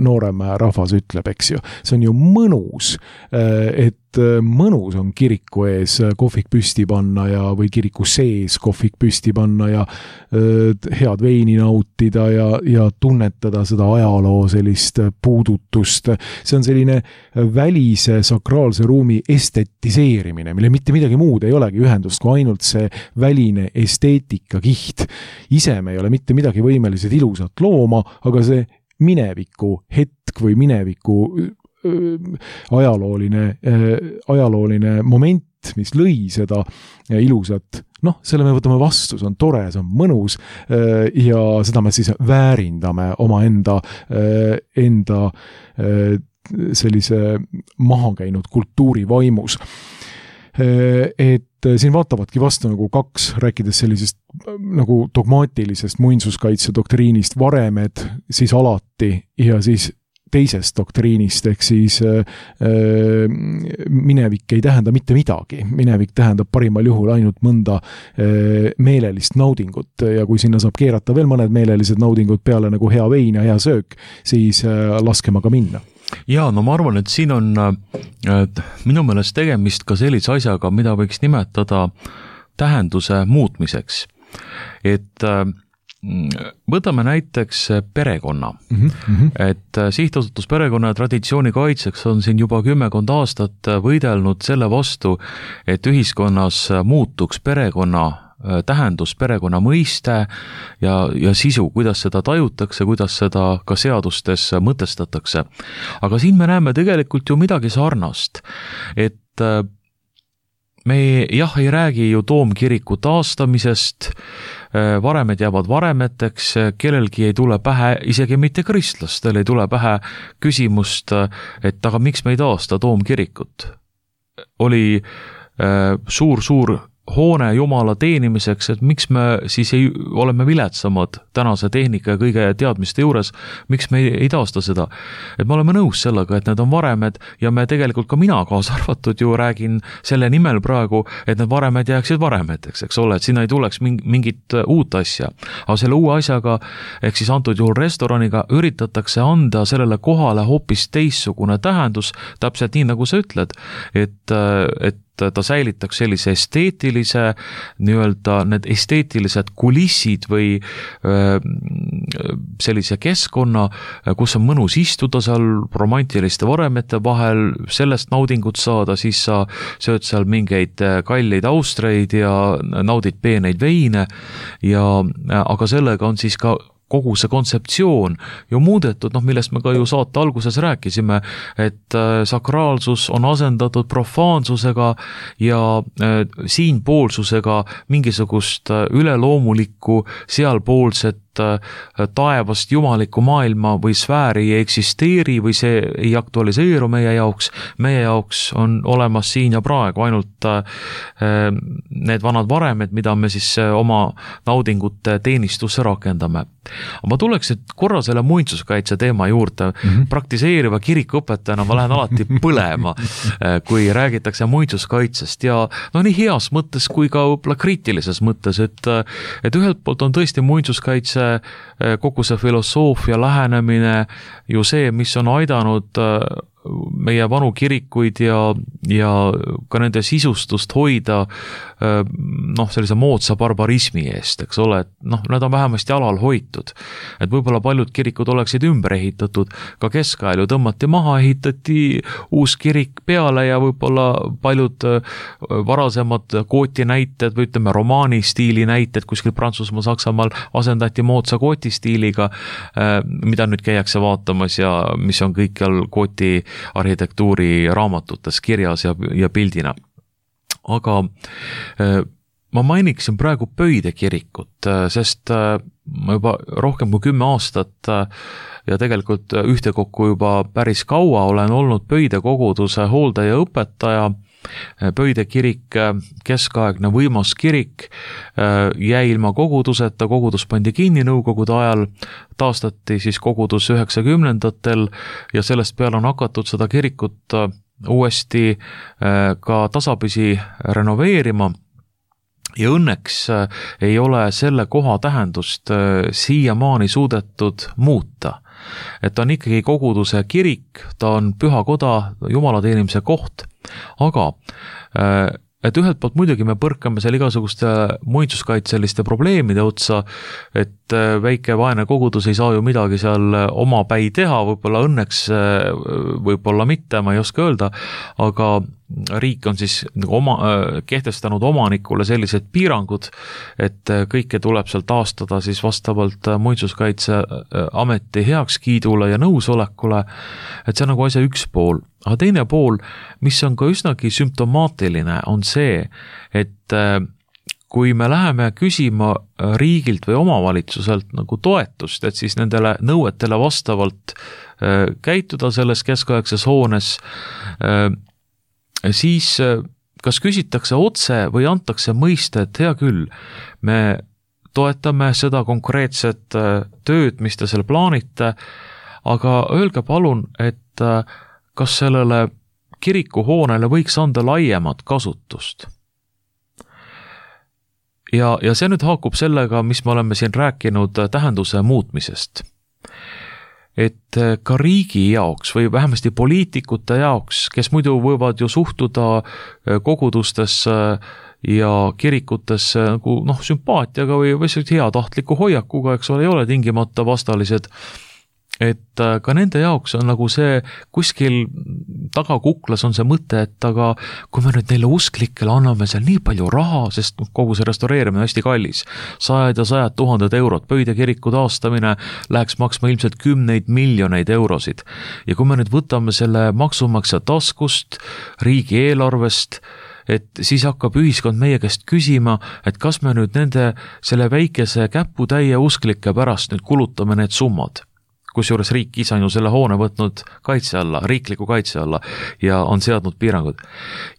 noorem rahvas ütleb, eks ju. See on ju mõnus, et mõnus on kiriku ees kohvik püsti panna ja, või kiriku sees kohvik püsti panna ja head veini nautida ja, ja tunnetada seda ajaloo sellist puudutust. See on selline välise sakraalse ruumi estetiseerimine, mille mitte midagi muud ei olegi ühendust, kui ainult see väline esteetika kiht. Ise me ei ole mitte midagi võimelised ilusat looma, aga see mineviku hetk või mineviku ajalooline, ajalooline moment, mis lõi seda ilusat, noh, selle me võtame vastu, see on tore, see on mõnus ja seda me siis väärindame oma enda, enda sellise maha käinud kultuuri vaimus. Et siin vaatavadki vastu nagu kaks, rääkides sellisest nagu dogmaatilisest muinsuskaitse doktriinist, varemed siis alati ja siis teisest doktriinist, ehk siis äh, minevik ei tähenda mitte midagi. Minevik tähendab parimal juhul ainult mõnda äh, meelelist naudingut ja kui sinna saab keerata veel mõned meelelised naudingud peale nagu hea vein ja hea söök, siis äh, laskema ka minna. Jaa, no ma arvan, et siin on et minu meelest tegemist ka sellise asjaga, mida võiks nimetada tähenduse muutmiseks. Et võtame näiteks perekonna. Mm-hmm. Et sihtasutus perekonna ja traditsiooni kaitseks on siin juba kümmekond aastat võidelnud selle vastu, et ühiskonnas muutuks perekonna tähendus, perekonna mõiste ja, ja sisu, kuidas seda tajutakse, kuidas seda ka seadustes mõtestatakse. Aga siin me näeme tegelikult ju midagi sarnast, et me jah ei räägi ju Toomkiriku taastamisest, varemed jäävad varemeteks, kellelgi ei tule pähe, isegi mitte kristlastel ei tule pähe küsimust, et aga miks me ei taasta Toomkirikut? Oli suur-suur hoone jumala teenimiseks, et miks me siis ei, oleme viletsamad tänase tehnika ja kõige teadmiste juures, miks me ei, ei taasta seda. Et me oleme nõus sellega, et need on varemed ja me tegelikult ka mina kaasa arvatud ju räägin selle nimel praegu, et need varemed jääksid varemeteks, eks ole, et sinna ei tuleks mingit uut asja. Aga selle uue asjaga, ehk siis antud juhul restoraniga, üritatakse anda sellele kohale hoopis teissugune tähendus, täpselt nii, nagu sa ütled, et, et ta säilitaks sellise esteetilise, nii-öelda need esteetilised kulissid või öö, sellise keskkonna, kus on mõnus istuda seal romantiliste varemete vahel, sellest naudingut saada, siis sa sööd seal mingeid kalleid austreid ja naudid peeneid veine, ja, aga sellega on siis ka kogu see kontseptsioon ju muudetud, noh, millest me ka ju saate alguses rääkisime, et sakraalsus on asendatud profaansusega ja siinpoolsusega mingisugust üleloomulikku sealpoolset taevast jumalikku maailma või sfääri ei eksisteeri või see ei aktualiseeru meie jaoks. Meie jaoks on olemas siin ja praegu ainult need vanad varemed, mida me siis oma naudingute teenistusse rakendame. Ma tuleks korra selle muinsuskaitse teema juurde. Mm-hmm. Praktiseeriva kirikuõpetajana ma lähen alati põlema, kui räägitakse muinsuskaitsest ja no nii heas mõttes kui ka võib-olla kriitilises mõttes, et, et ühelt poolt on tõesti muinsuskaitse kogu see filosoofia lähenemine ju see, mis on aidanud meie vanu kirikuid ja, ja ka nende sisustust hoida noh, sellise moodsa barbarismi eest, eks ole, et noh, nad on vähemasti alal hoitud. Et võib-olla paljud kirikud oleksid ümber ehitatud, ka keskajal ju tõmmati maha, ehitati uus kirik peale ja võib-olla paljud varasemad kooti näited või ütleme romaani stiili näited kuskil Prantsusmaal, Saksamaal asendati moodsa kooti stiiliga, mida nüüd käiakse vaatamas ja mis on kõikjal kooti arhitektuuri raamatutes kirjas ja, ja pildina. Aga ma mainiksin praegu Pöide kirikut, sest ma juba rohkem kui kümme aastat ja tegelikult ühtekokku juba päris kaua olen olnud Pöide koguduse hooldaja õpetaja. Pöide kirik, keskaegne võimas kirik, jäi ilma koguduseta, kogudus pandi kinni nõukogude ajal, taastati siis kogudus üheksakümnendatel ja sellest peale on hakatud seda kirikut uuesti ka tasapisi renoveerima. Ja õnneks ei ole selle koha tähendust siiamaani suudetud muuta. Et ta on ikkagi koguduse kirik, ta on püha koda, jumala teenimise koht, aga et ühelt poolt muidugi me põrkame seal igasuguste muinsuskaitseliste probleemide otsa, et väike vaene kogudus ei saa ju midagi seal oma päi teha, võib-olla õnneks, võib-olla mitte, ma ei oska öelda, aga riik on siis oma, kehtestanud omanikule sellised piirangud, et kõike tuleb seal taastada siis vastavalt muinsuskaitseameti heakskiidule ja nõusolekule, et see on nagu asja üks pool. Aga teine pool, mis on ka üsnagi sümptomaatiline, on see, et kui me läheme küsima riigilt või omavalitsuselt nagu toetust, et siis nendele nõuetele vastavalt käituda selles keskaegses hoones, siis kas küsitakse otse või antakse mõista, et hea küll, me toetame seda konkreetset tööd, mis te seal plaanite, aga öelge palun, et kas sellele kirikuhoonele võiks anda laiemat kasutust. Ja, ja see nüüd haakub sellega, mis me oleme siin rääkinud tähenduse muutmisest. Et ka riigi jaoks või vähemasti poliitikute jaoks, kes muidu võivad ju suhtuda kogudustesse ja kirikutesse nagu noh, sümpaatiaga või, või heatahtliku hoiakuga, eks ole, ei ole tingimata vastalised, et ka nende jaoks on nagu see kuskil tagakuklas on see mõte, et aga kui me nüüd neile usklikele anname seal nii palju raha, sest kogu see restaureerimine on hästi kallis, sajad ja sajad tuhanded eurot, Pöide kiriku taastamine läheks maksma ilmselt kümneid miljoneid eurosid. Ja kui me nüüd võtame selle maksumaksja taskust, riigieelarvest, et siis hakkab ühiskond meie käest küsima, et kas me nüüd nende selle väikese käputäie usklike pärast nüüd kulutame need summad. kusjuures riik ise on ju selle hoone võtnud kaitse alla, riikliku kaitse alla ja on seadnud piirangud.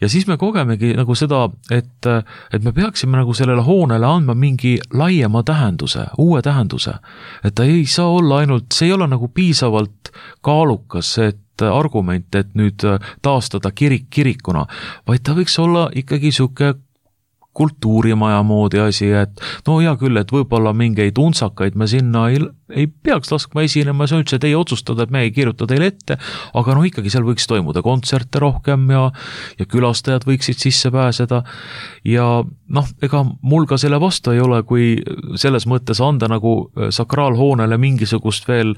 Ja siis me kogemegi nagu seda, et, et me peaksime nagu sellele hoonele andma mingi laiema tähenduse, uue tähenduse. Et ta ei saa olla ainult, see ei ole nagu piisavalt kaalukas, et argument, et nüüd taastada kirik kirikuna, vaid ta võiks olla ikkagi siuke kultuurimaja moodi asi, et no hea küll, et võib-olla mingeid untsakaid me sinna ei, ei peaks laskma esinema, see on üldse teie otsustada, et me ei kirjuta teile ette, aga no ikkagi seal võiks toimuda kontserte rohkem ja, ja külastajad võiksid sisse pääseda ja noh, ega mul ka selle vastu ei ole, kui selles mõttes anda nagu sakraalhoonele mingisugust veel,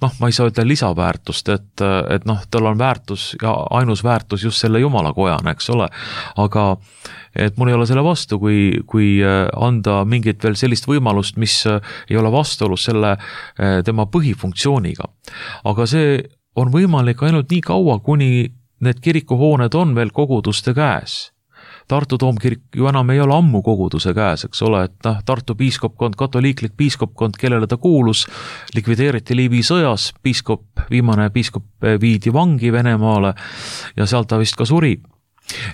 noh, ma ei saa öelda lisaväärtust, et, et noh, tal on väärtus ja ainus väärtus just selle Jumala kojana, eks ole, aga et mul ei ole selle vastu, kui, kui anda mingit veel sellist võimalust, mis ei ole vastuolus selle tema põhifunktsiooniga. Aga see on võimalik ainult nii kaua, kuni need kirikuhooned on veel koguduste käes. Tartu Toomkirik ju enam ei ole ammu koguduse käes, eks ole, et noh, Tartu piiskopkond, katoliiklik piiskopkond, kellele ta kuulus, likvideeriti Liivi sõjas, piiskop, viimane piiskop viidi vangi Venemaale ja sealt ta vist ka suri.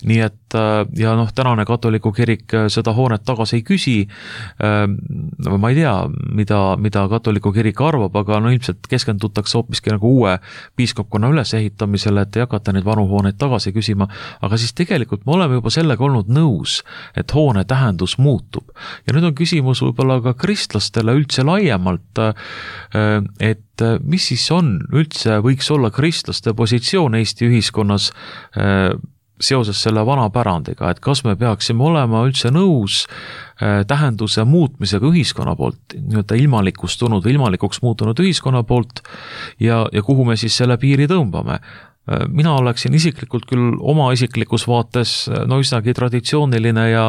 Nii et ja noh, tänane katoliku kirik seda hoonet tagasi ei küsi, ma ei tea, mida, mida katoliku kirik arvab, aga no ilmselt keskendutakse hoopiski nagu uue piiskopkonna ülesehitamisele, et ei hakata neid vanu hooneid tagasi küsima, aga siis tegelikult me oleme juba sellega olnud nõus, et hoone tähendus muutub. Ja nüüd on küsimus võib-olla ka kristlastele üldse laiemalt, et mis siis on üldse, võiks olla kristlaste positsioon Eesti ühiskonnas seoses selle vana pärandiga, et kas me peaksime olema üldse nõus tähenduse muutmisega ühiskonna poolt, nii-öelda ilmalikust tulnud, ilmalikuks muutunud ühiskonna poolt ja, ja kuhu me siis selle piiri tõmbame. Mina oleksin isiklikult küll oma isiklikus vaates no üsnagi traditsiooniline ja,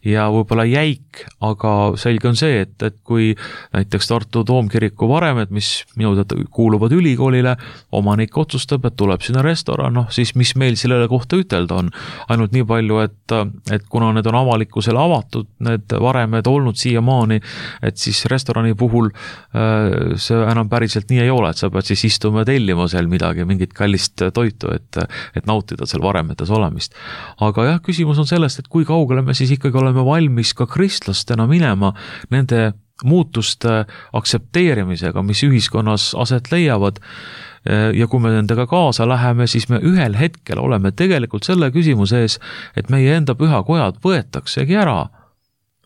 ja võib-olla jäik, aga selge on see, et, et kui näiteks Tartu Toomkiriku varemed, mis minu teada kuuluvad ülikoolile, omanik otsustab, et tuleb sinna restoran, noh siis mis meil sellele kohta ütelda on. Ainult nii palju, et, et kuna need on avalikkusele avatud, need varemed olnud siiamaani, et siis restorani puhul see enam päriselt nii ei ole, et sa pead siis istuma ja tellima seal midagi, mingit kallist toitu, et, et nautida seal varemetes olemist. Aga jah, küsimus on sellest, et kui kaugele me siis ikkagi oleme valmis ka kristlastena minema nende muutuste aktsepteerimisega, mis ühiskonnas aset leiavad. Ja kui me nendega kaasa läheme, siis me ühel hetkel oleme tegelikult selle küsimuse ees, et meie enda pühakojad võetaksegi ära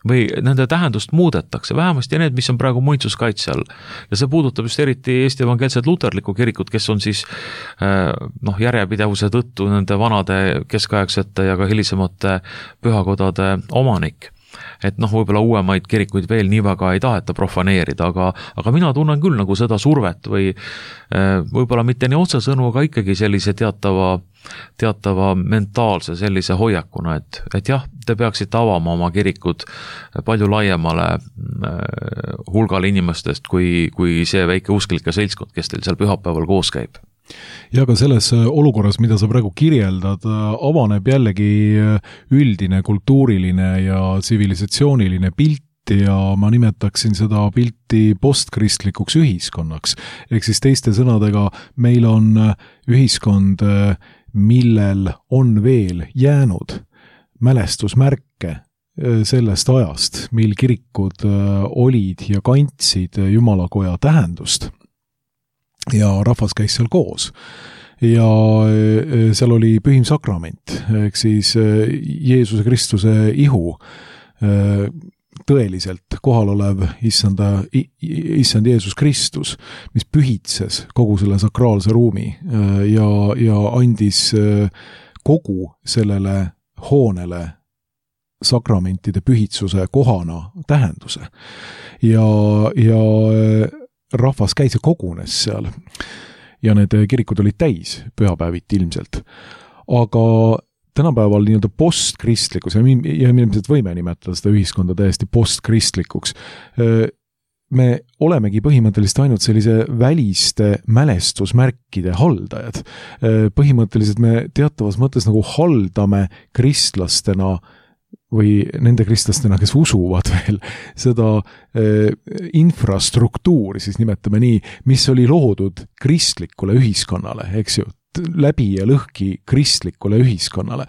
või nende tähendust muudetakse, vähemasti need, mis on praegu muinsuskaitse all. Ja see puudutab just eriti Eesti evangeelset luterlikku kirikut, kes on siis noh, järjepidevuse tõttu nende vanade keskaegsete ja ka hilisemate pühakodade omanik. Et noh, võib-olla uuemaid kirikuid veel nii väga ei taheta profaneerida, aga, aga mina tunnen küll nagu seda survet või võib-olla mitte nii otsesõnu, aga ikkagi sellise teatava, teatava mentaalse sellise hoiakuna, et, et jah, te peaksite avama oma kirikud palju laiemale hulgale inimestest, kui, kui see väike usklike seltskond, kes teil seal pühapäeval koos käib. Ja ka selles olukorras, mida sa praegu kirjeldad, avaneb jällegi üldine kultuuriline ja tsivilisatsiooniline pilt ja ma nimetaksin seda pilti postkristlikuks ühiskonnaks. Ehk siis teiste sõnadega, meil on ühiskond, millel on veel jäänud mälestusmärke sellest ajast, mil kirikud olid ja kantsid Jumalakoja tähendust. Ja rahvas käis seal koos ja seal oli pühim sakrament, ehk siis Jeesuse Kristuse ihu, tõeliselt kohal olev issanda, issand Jeesus Kristus, mis pühitses kogu selle sakraalse ruumi ja, ja andis kogu sellele hoonele sakramentide pühitsuse kohana tähenduse ja, ja rahvas käis ja kogunes seal ja need kirikud olid täis pühapäeviti ilmselt. Aga tänapäeval nii-öelda postkristlikus ja me ilmselt võime nimetada seda ühiskonda täiesti postkristlikkuks. Me olemegi põhimõtteliselt ainult sellise väliste mälestusmärkide haldajad. Põhimõtteliselt me teatavas mõttes nagu haldame kristlastena või nende kristlastena, kes usuvad veel seda äh, infrastruktuuri, siis nimetame nii, mis oli loodud kristlikule ühiskonnale, eks ju, läbi ja lõhki kristlikule ühiskonnale.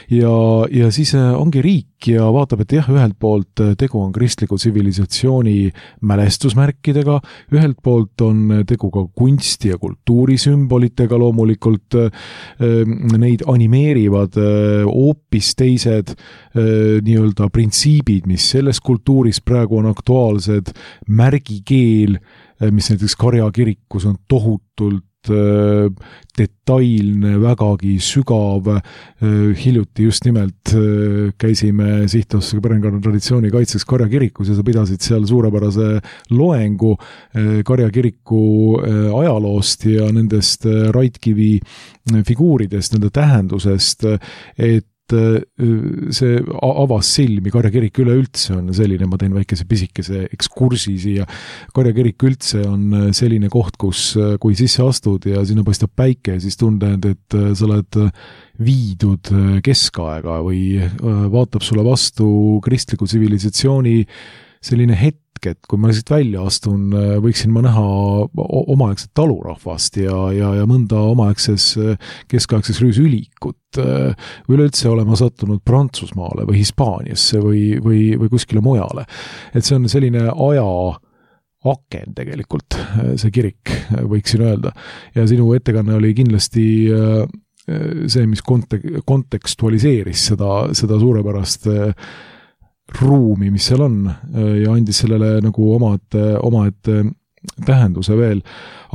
Ja, ja siis ongi riik ja vaatab, et jah, ühelt poolt tegu on kristliku tsivilisatsiooni mälestusmärkidega, ühelt poolt on tegu ka kunsti- ja kultuurisümbolitega loomulikult, neid animeerivad hoopis teised nii-öelda printsiibid, mis selles kultuuris praegu on aktuaalsed, märgikeel, mis näiteks Karja kirikus on tohutult detailne, vägagi sügav, hiljuti just nimelt käisime Sihtasutuse Perekonna Traditsiooni kaitseks Karja kirikus ja sa pidasid seal suurepärase loengu Karja kiriku ajaloost ja nendest Raidkivi figuuridest, nende tähendusest, et see avas silmi, Karja kirik üleüldse on selline, ma teen väikese pisikese ekskursi siia, Karja kirik üldse on selline koht, kus kui sisse astud ja sinna paistab päike, siis tunned, et sa oled viidud keskaega või vaatab sulle vastu kristliku tsivilisatsiooni selline hetk, et kui ma siit välja astun, võiksin ma näha omaaegset talurahvast ja, ja, ja mõnda omaaegses keskaegses rüüsülikut. Üleüldse olema sattunud Prantsusmaale või Hispaaniasse või, või, või kuskile mujale. Et see on selline aja aken tegelikult, see kirik, võiksin öelda. Ja sinu ettekanne oli kindlasti see, mis kontek- kontekstualiseeris seda, seda suurepärast ruumi, mis seal on ja andis sellele nagu omad, omad tähenduse veel.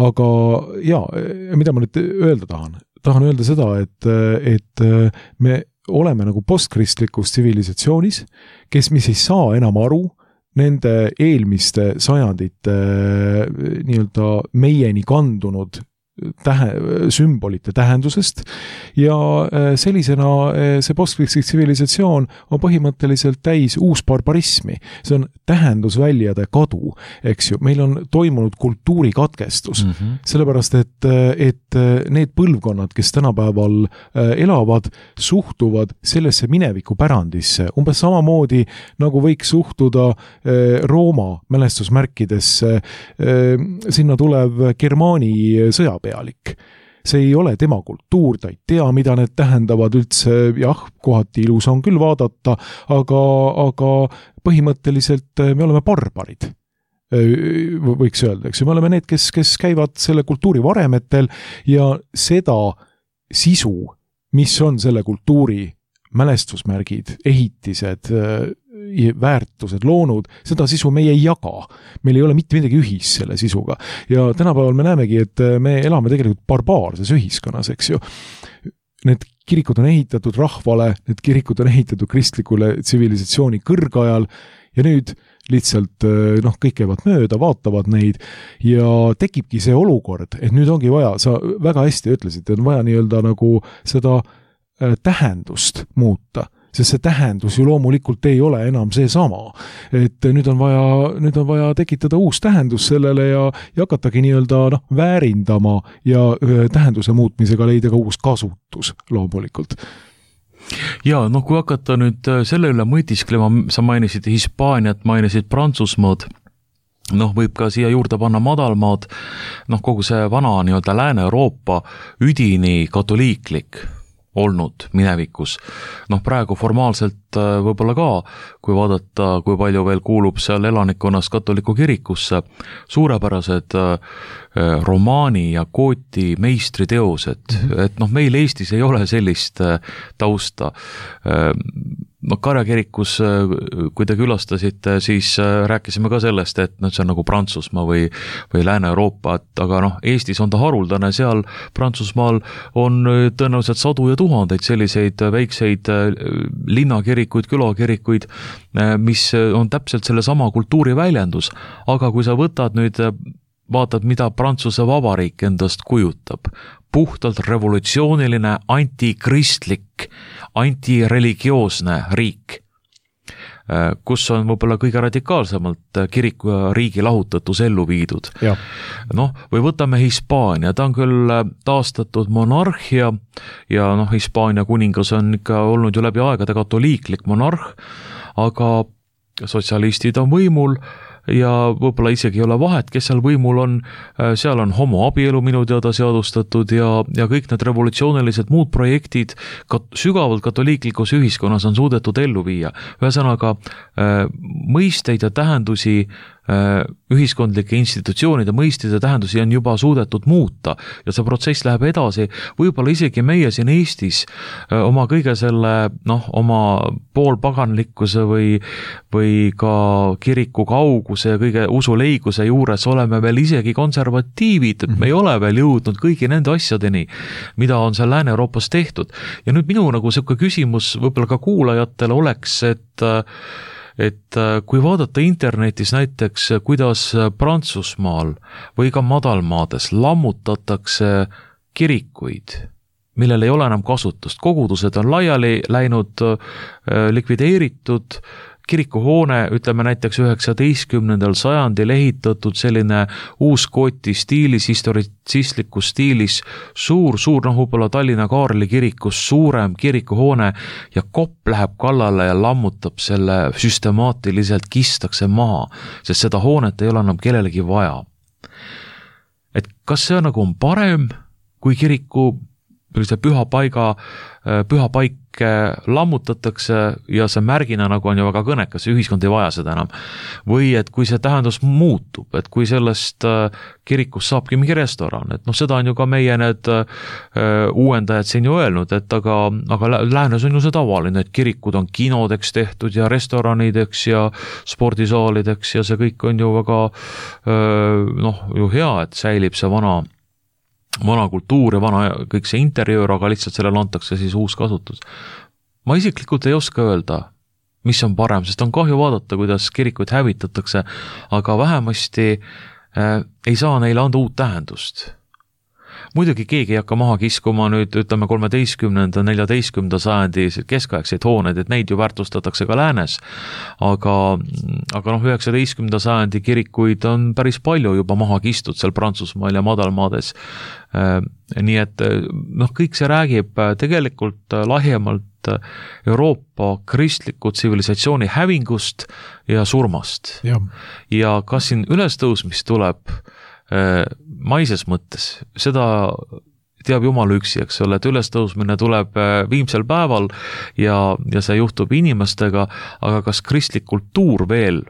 Aga jaa, mida ma nüüd öelda tahan? Tahan öelda seda, et, et me oleme nagu postkristlikus tsivilisatsioonis, kes mis ei saa enam aru nende eelmiste sajandite nii-öelda meieni kandunud tähe, sümbolite tähendusest ja sellisena see postkristlik tsivilisatsioon on põhimõtteliselt täis uus barbarismi. See on tähendusväljade kadu, eks ju. Meil on toimunud kultuurikatkestus, mm -hmm. sellepärast, et, et need põlvkonnad, kes tänapäeval elavad, suhtuvad sellesse mineviku pärandisse umbes samamoodi, nagu võiks suhtuda Rooma mälestusmärkidesse, sinna tulev Germaani sõja pealik. See ei ole tema kultuur, ta ei tea, mida need tähendavad üldse, jah, kohati ilus on küll vaadata, aga, aga põhimõtteliselt me oleme barbarid, võiks öelda, eks ju, me oleme need, kes, kes käivad selle kultuuri varemetel ja seda sisu, mis on selle kultuuri mälestusmärgid, ehitised, väärtused loonud, seda sisu meie ei jaga. Meil ei ole mitte midagi ühis selle sisuga. Ja tänapäeval me näemegi, et me elame tegelikult barbaarses ühiskonnas, eks ju. Need kirikud on ehitatud rahvale, need kirikud on ehitatud kristlikule tsivilisatsiooni kõrgajal ja nüüd lihtsalt noh, kõik käivad mööda, vaatavad neid ja tekibki see olukord, et nüüd ongi vaja, sa väga hästi ütlesid, on vaja nii-öelda nagu seda tähendust muuta, sest see tähendus ju loomulikult ei ole enam see sama. Et nüüd on vaja, nüüd on vaja tekitada uus tähendus sellele ja, ja hakatagi nii-öelda noh, väärindama ja tähenduse muutmisega leida ka uus kasutus loomulikult. Ja, noh, kui hakata nüüd selle üle mõtisklema, sa mainisid Hispaaniat, mainisid Prantsusmaad, noh, võib ka siia juurde panna madalmaad, noh, kogu see vana nii-öelda Lääne-Euroopa üdini katoliiklik olnud minevikus. Noh, praegu formaalselt võib-olla ka, kui vaadata, kui palju veel kuulub seal elanikkonnast katoliku kirikusse, suurepärased romaani ja kooti meistriteosed, et noh, meil Eestis ei ole sellist tausta. No Karja kirikus, kui te külastasite, siis rääkisime ka sellest, et no, see on nagu Prantsusmaa või, või Lääne-Euroopa, et aga noh, Eestis on ta haruldane, seal Prantsusmaal on tõenäoliselt sadu ja tuhandeid selliseid väikseid linnakirikuid, külakirikuid, mis on täpselt selle sama kultuuri väljendus, aga kui sa võtad nüüd vaatad, mida Prantsuse Vabariik endast kujutab. Puhtalt revolutsiooniline, antikristlik, antireligioosne riik. kus on võib-olla kõige radikaalsemalt kiriku ja riigi lahutatus ellu viidud. Noh, või võtame Hispaania, ta on küll taastatud monarhia ja noh, Hispaania kuningas on ikka olnud ju läbi aegade katoliiklik monarh, aga sotsialistid on võimul ja võib-olla isegi ei ole vahet, kes seal võimul on, seal on homoabielu minu teada seadustatud ja, ja kõik need revolutsioonilised muud projektid kat, sügavalt katoliiklikus ühiskonnas on suudetud ellu viia. Ühesõnaga, mõisteid ja tähendusi ühiskondlike institutsioonide mõisteid ja tähendusi on juba suudetud muuta ja see protsess läheb edasi, võib-olla isegi meie siin Eestis oma kõige selle, noh, oma poolpaganlikkuse või, või ka kiriku kauguse ja kõige usuleiguse juures oleme veel isegi konservatiivid, et me ei ole veel jõudnud kõigi nende asjadeni, mida on seal Lääne-Euroopas tehtud. Ja nüüd minu nagu selline küsimus võib-olla ka kuulajatele oleks, et et kui vaadata internetis näiteks, kuidas Prantsusmaal või ka madalmaades lammutatakse kirikuid, millel ei ole enam kasutust, kogudused on laiali läinud, likvideeritud, kirikuhoone, ütleme näiteks üheksateistkümnendal sajandil ehitatud selline uuskooti stiilis, historitsistlikus stiilis, suur, suur, noh, võib-olla Tallinna Kaarli kirikus suurem kirikuhoone ja kopp läheb kallale ja lammutab selle süstemaatiliselt, kistakse maha, sest seda hoonet ei ole enam kellelegi vaja. Et kas see nagu on parem, kui kiriku püha paiga, püha paik lammutatakse ja see märgina nagu on ju väga kõnekas, ühiskond ei vaja seda enam. Või et kui see tähendus muutub, et kui sellest kirikust saabki mingi restoran, et noh, seda on ju ka meie need uuendajad siin ju öelnud, et aga, aga läänes on ju see tavaline, et kirikud on kinodeks tehtud ja restoranideks ja spordisaalideks ja see kõik on ju väga noh, ju hea, et säilib see vana vana kultuur ja vana kõik see interjöör, aga lihtsalt sellele antakse siis uus kasutus. Ma isiklikult ei oska öelda, mis on parem, sest on kahju vaadata, kuidas kirikuid hävitatakse, aga vähemasti äh, ei saa neile anda uut tähendust. Muidugi keegi ei hakka maha kiskuma nüüd, ütleme, kolmeteistkümnenda, neljateistkümnenda sajandi keskaegseid hooneid, et neid ju väärtustatakse ka läänes, aga, aga noh, üheksateistkümnenda sajandi kirikuid on päris palju juba maha kistud seal Prantsusmaal ja madalmaades. Nii et noh, kõik see räägib tegelikult laiemalt Euroopa kristliku tsivilisatsiooni hävingust ja surmast. Ja, ja kas siin ülestõusmist tuleb maises mõttes, seda teab Jumal üksi, eks ole, et ülestõusmine tuleb viimsel päeval ja, ja see juhtub inimestega, aga kas kristlik kultuur veel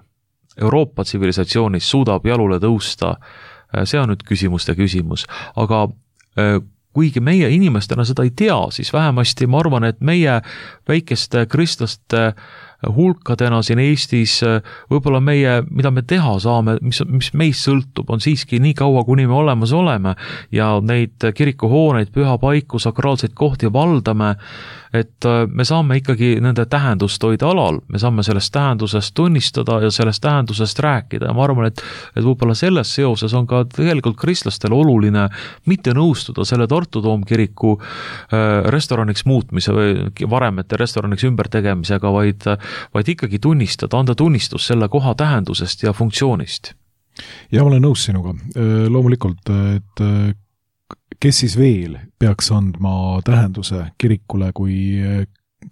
Euroopa tsivilisatsioonis suudab jalule tõusta, see on nüüd küsimuste küsimus, aga kuigi meie inimestena seda ei tea, siis vähemasti ma arvan, et meie väikeste kristlaste hulkadena siin Eestis võib-olla meie, mida me teha saame, mis, mis meist sõltub, on siiski nii kaua, kuni me olemas oleme ja neid kirikuhooneid, pühapaiku, sakraalseid kohti valdame, et me saame ikkagi nende tähendust hoida alal, me saame sellest tähendusest tunnistada ja sellest tähendusest rääkida ja ma arvan, et, et võib-olla selles seoses on ka tegelikult kristlastel oluline mitte nõustuda selle Tartu Toomkiriku restoraniks muutmise või varemete restoraniks ümbertegemisega, vaid vaid ikkagi tunnistada, anda tunnistus selle koha tähendusest ja funktsioonist. Ja ma olen nõus sinuga. Loomulikult, et kes siis veel peaks andma tähenduse kirikule kui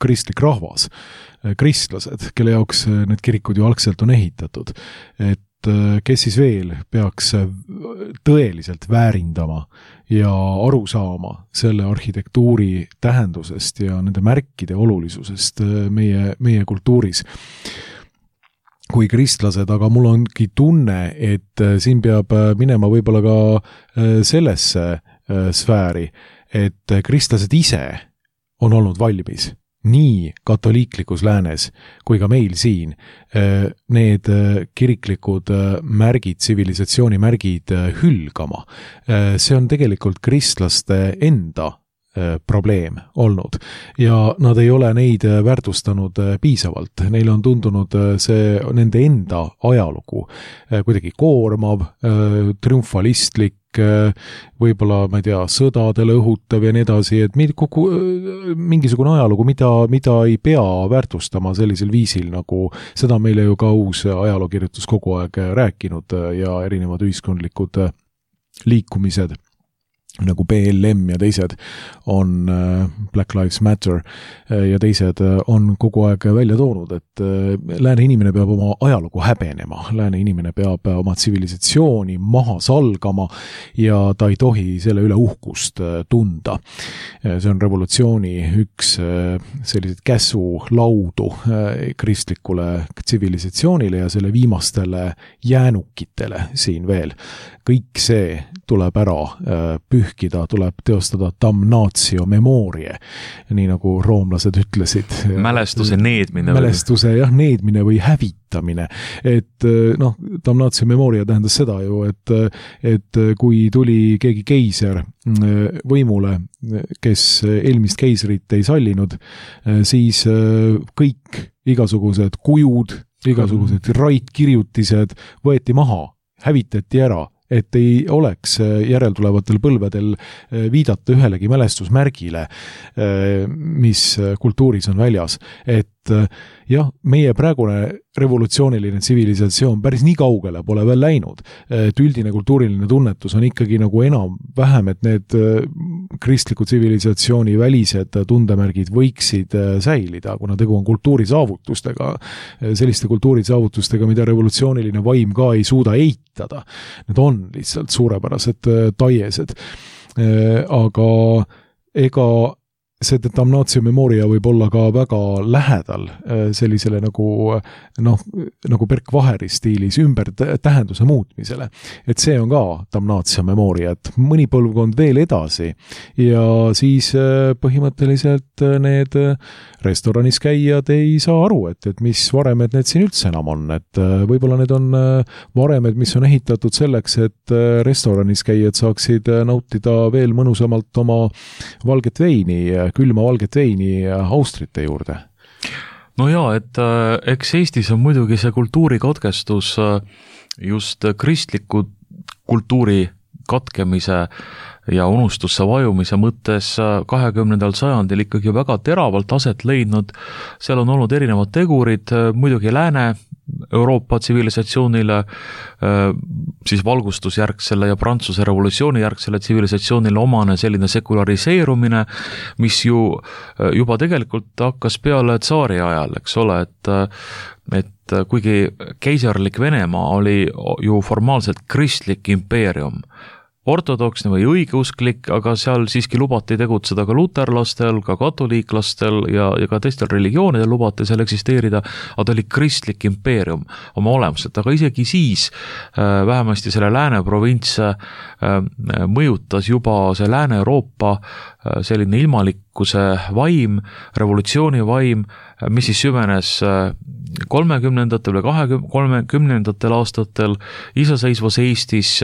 kristlik rahvas, kristlased, kelle jaoks need kirikud ju algselt on ehitatud, et kes siis veel peaks tõeliselt väärindama ja aru saama selle arhitektuuri tähendusest ja nende märkide olulisusest meie, meie kultuuris kui kristlased, aga mul ongi tunne, et siin peab minema võib-olla ka sellesse sfääri, et kristlased ise on olnud valmis nii katoliiklikus läänes kui ka meil siin need kiriklikud märgid, tsivilisatsiooni märgid hülgama. See on tegelikult kristlaste enda probleem olnud ja nad ei ole neid väärtustanud piisavalt. Neile on tundunud see nende enda ajalugu kuidagi koormav, triumfalistlik, võib-olla, ma ei tea, sõdadele õhutav ja nii edasi, et kogu, mingisugune ajalugu, mida, mida ei pea väärtustama sellisel viisil, nagu seda meile ju ka uus ajalookirjutus kogu aeg rääkinud ja erinevad ühiskondlikud liikumised nagu B L M ja teised on Black Lives Matter ja teised on kogu aeg välja toonud, et lääne inimene peab oma ajalugu häbenema, lääne inimene peab oma tsivilisatsiooni maha salgama ja ta ei tohi selle üle uhkust tunda. See on revolutsiooni üks sellised käsulaudu kristlikule tsivilisatsioonile ja selle viimastele jäänukitele siin veel. Kõik see tuleb ära pühkida, tuleb teostada damnatio memorie, nii nagu roomlased ütlesid. Mälestuse needmine. Mälestuse, jah, needmine või hävitamine. Et noh, damnatio memoria tähendas seda ju, et, et kui tuli keegi keiser võimule, kes eelmist keisrit ei sallinud, siis kõik igasugused kujud, igasugused raitkirjutised võeti maha, hävitati ära, et ei oleks järeltulevatel põlvedel viidata ühelegi mälestusmärgile, mis kultuuris on väljas. Et jah, meie praegune revolutsiooniline tsivilisatsioon päris nii kaugele pole veel läinud. Et üldine kultuuriline tunnetus on ikkagi nagu enam vähem, et need kristliku tsivilisatsiooni välised tundemärgid võiksid säilida, kuna tegu on kultuurisaavutustega, selliste kultuurisaavutustega, mida revolutsiooniline vaim ka ei suuda eitada. Need on lihtsalt suurepärased taiesed. Aga ega see damnatio memoria võib olla ka väga lähedal sellisele nagu, noh, nagu Berk Vaheri stiilis ümber tähenduse muutmisele. Et see on ka damnatio memoria, et mõni põlvkond veel edasi ja siis põhimõtteliselt need restoranis käijad ei saa aru, et, et mis varemed need siin üldse enam on, et võib-olla need on varemed, mis on ehitatud selleks, et restoranis käijad saaksid nautida veel mõnusamalt oma valget veini, külma valget veini austrite juurde. No jaa, et eks Eestis on muidugi see kultuurikatkestus just kristliku kultuuri katkemise ja unustusse vajumise mõttes kahekümnendal sajandil ikkagi väga teravalt aset leidnud. Seal on olnud erinevad tegurid, muidugi lääne Euroopa tsivilisatsioonile, siis valgustusjärgsele ja Prantsuse revolutsiooni järgsele tsivilisatsioonile omane selline sekulariseerumine, mis ju juba tegelikult hakkas peale tsaari ajal, eks ole, et et kuigi keisarlik Venemaa oli ju formaalselt kristlik impeerium, ortodoksne või õigeusklik, aga seal siiski lubati tegutseda ka luterlastel, ka katoliiklastel ja, ja ka teistel religioonidel lubati seal eksisteerida, aga ta oli kristlik impeerium oma olemuselt, aga isegi siis äh, vähemasti selle lääne provints äh, mõjutas juba see Lääne-Euroopa äh, selline ilmalikkuse vaim, revolutsiooni vaim, mis siis süvenes kolmekümnendatel või kolmekümnendatel aastatel iseseisvas Eestis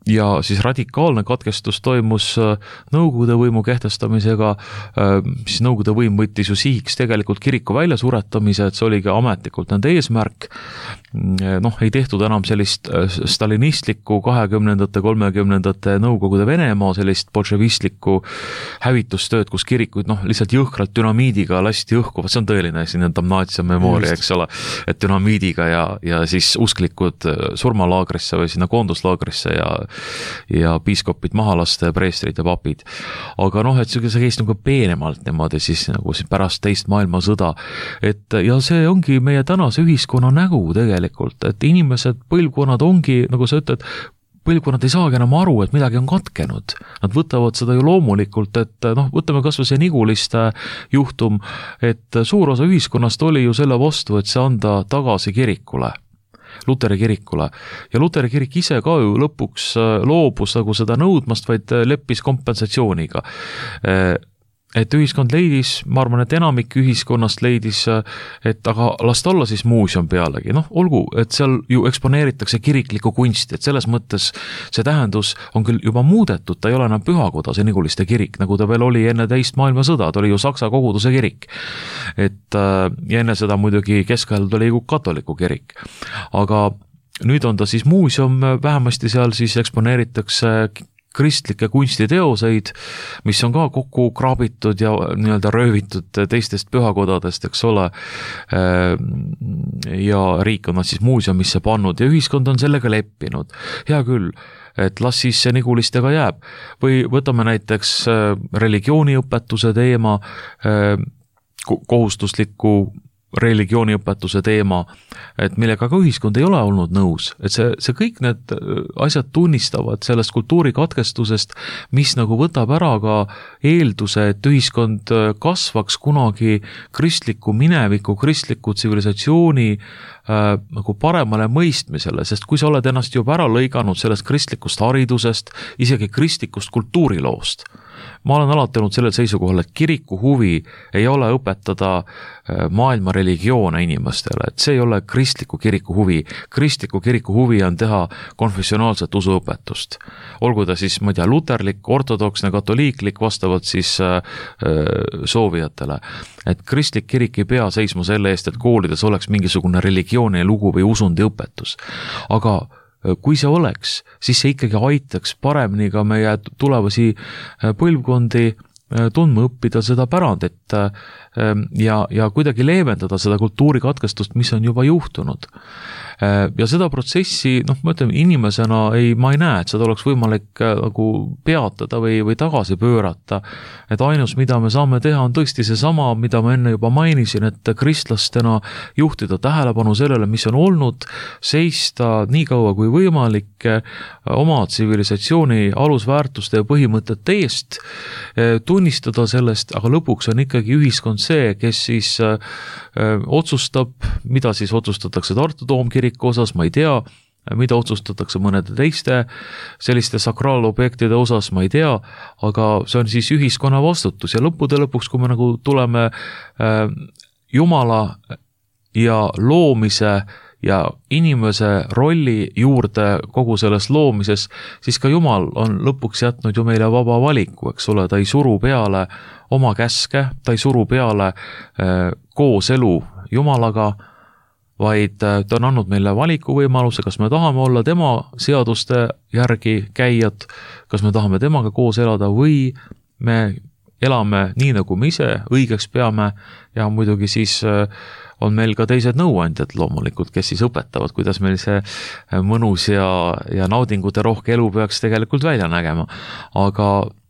ja siis radikaalne katkestus toimus Nõukogude võimu kehtestamisega, siis Nõukogude võim võttis ju sihiks tegelikult kiriku väljasuretamise, et see oligi ametlikult nende eesmärk. Noh, ei tehtud enam sellist stalinistlikku kahekümnendate, kolmekümnendate Nõukogude Venemaa sellist bolševistlikku hävitustööd, kus kirikuid noh, lihtsalt jõhkralt dünamiidiga lasti õhku, see on tõeline sinna damnatio memoria, eks ole, et dünamiidiga ja, ja siis usklikud surmalaagrisse või sinna koonduslaagrisse ja ja piiskopid maha lasta ja preestrid ja papid. Aga noh, et see käis nagu peenemalt niimoodi siis nagu pärast teist maailmasõda. Et ja see ongi meie tänase ühiskonna nägu tegelikult, et inimesed, põlvkonnad ongi, nagu sa ütled, põlvkonnad ei saagi enam aru, et midagi on katkenud. Nad võtavad seda ju loomulikult, et noh, võtame kas või see Niguliste juhtum, et suur osa ühiskonnast oli ju selle vastu, et see anda tagasi kirikule. Luteri kirikule. Ja Luteri kirik ise ka ju lõpuks loobus nagu seda nõudmast, vaid leppis kompensatsiooniga. et ühiskond leidis, ma arvan, et enamik ühiskonnast leidis, et aga las ta olla siis muuseum pealegi, noh, olgu, et seal ju eksponeeritakse kiriklikku kunsti, et selles mõttes see tähendus on küll juba muudetud, ta ei ole enam pühakoda, see Niguliste kirik, nagu ta veel oli enne teist maailmasõda, ta oli ju Saksa koguduse kirik. Et ja enne seda muidugi keskajal oli ju katoliku kirik, aga nüüd on ta siis muuseum, vähemasti seal siis eksponeeritakse kristlikke kunstiteoseid, mis on ka kokku kraabitud ja nii-öelda röövitud teistest pühakodadest, eks ole, ja riik on nad siis muuseumisse pannud ja ühiskond on sellega leppinud. Hea küll, et las siis see Nigulistega jääb. Või võtame näiteks religiooniõpetuse teema, kohustusliku religiooniõpetuse teema, et millega ka ühiskond ei ole olnud nõus, et see, see kõik need asjad tunnistavad sellest kultuurikatkestusest, mis nagu võtab ära ka eelduse, et ühiskond kasvaks kunagi kristliku mineviku, kristliku tsivilisatsiooni äh, nagu paremale mõistmisele, sest kui sa oled ennast juba ära lõiganud sellest kristlikust haridusest, isegi kristlikust kultuuriloost, ma olen alati olnud sellel seisukohal, et kiriku huvi ei ole õpetada maailma religioone inimestele, et see ei ole kristliku kiriku huvi. Kristliku kiriku huvi on teha konfessionaalset usuõpetust. Olgu ta siis, ma ei tea, luterlik, ortodoksne, katoliiklik, vastavalt siis äh, soovijatele. Et kristlik kirik ei pea seisma selle eest, et koolides oleks mingisugune religiooni lugu või usundi õpetus. Aga kui see oleks, siis see ikkagi aitaks paremini ka meie tulevasi põlvkondi tundma õppida seda pärandit ja, ja kuidagi leevendada seda kultuurikatkestust, mis on juba juhtunud. Ja seda protsessi, noh, ma ütlen, inimesena ei, ma ei näe, et seda oleks võimalik nagu peatada või, või tagasi pöörata. Et ainus, mida me saame teha, on tõesti see sama, mida ma enne juba mainisin, et kristlastena juhtida tähelepanu sellele, mis on olnud, seista nii kaua kui võimalik oma tsivilisatsiooni alusväärtuste ja põhimõtete eest, tunnistada sellest, aga lõpuks on ikkagi ühiskond see, kes siis öö, otsustab, mida siis otsustatakse Tartu Toomkiriku osas, ma ei tea, mida otsustatakse mõnede teiste selliste sakraalobjektide osas, ma ei tea, aga see on siis ühiskonna vastutus ja lõppude lõpuks, kui me nagu tuleme öö, Jumala ja loomise ja inimese rolli juurde kogu selles loomises, siis ka Jumal on lõpuks jätnud ju meile vaba valiku, eks ole, ta ei suru peale oma käske, ta ei suru peale äh, koos elu Jumalaga, vaid äh, ta on andnud meile valikuvõimaluse, kas me tahame olla tema seaduste järgi käijad, kas me tahame temaga koos elada või me elame nii, nagu me ise õigeks peame ja muidugi siis äh, on meil ka teised nõuandjad loomulikult, kes siis õpetavad, kuidas meil see mõnus ja, ja naudingute rohke elu peaks tegelikult välja nägema. Aga,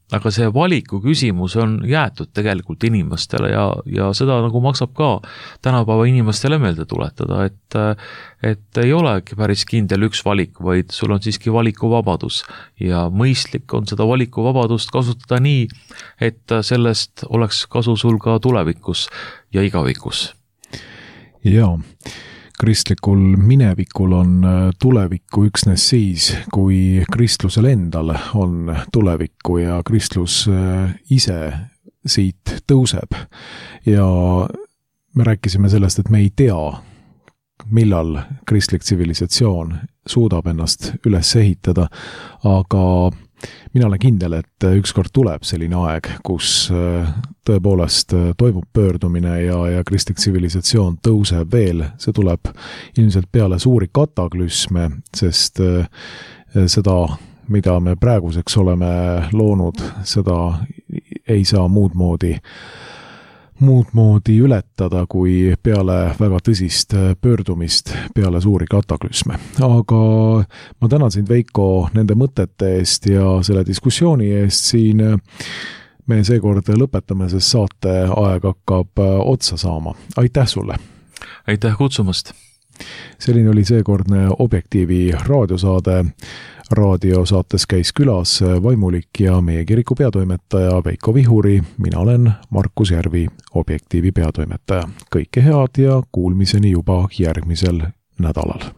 aga see valiku küsimus on jäetud tegelikult inimestele ja, ja seda nagu maksab ka tänapäeva inimestele meelde tuletada, et, et ei olegi päris kindel üks valik, vaid sul on siiski valikuvabadus ja mõistlik on seda valikuvabadust kasutada nii, et sellest oleks kasu sul ka tulevikus ja igavikus. Jaa, kristlikul minevikul on tulevikku üksnes siis, kui kristlusel endal on tulevikku ja kristlus ise siit tõuseb. Ja me rääkisime sellest, et me ei tea, millal kristlik tsivilisatsioon suudab ennast üles ehitada, aga mina olen kindel, et ükskord tuleb selline aeg, kus tõepoolest toimub pöördumine ja, ja kristlik tsivilisatsioon tõuseb veel. See tuleb ilmselt peale suuri kataklüsme, sest seda, mida me praeguseks oleme loonud, seda ei saa muud moodi muud moodi ületada kui peale väga tõsist pöördumist peale suuri kataklüsme. Aga ma tänan sind, Veiko, nende mõtete eest ja selle diskussiooni eest siin. Me seekord lõpetame, sest saate aeg hakkab otsa saama. Aitäh sulle! Aitäh kutsumast! Selline oli seekordne Objektiivi raadiosaade. Raadiosaates käis külas vaimulik ja meie kiriku peatoimetaja Veiko Vihuri. Mina olen Markus Järvi, Objektiivi peatoimetaja. Kõike head ja kuulmiseni juba järgmisel nädalal.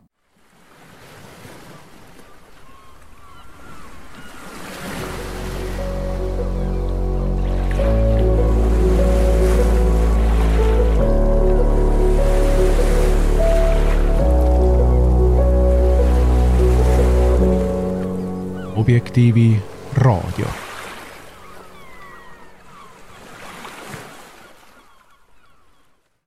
Objektiivi raadio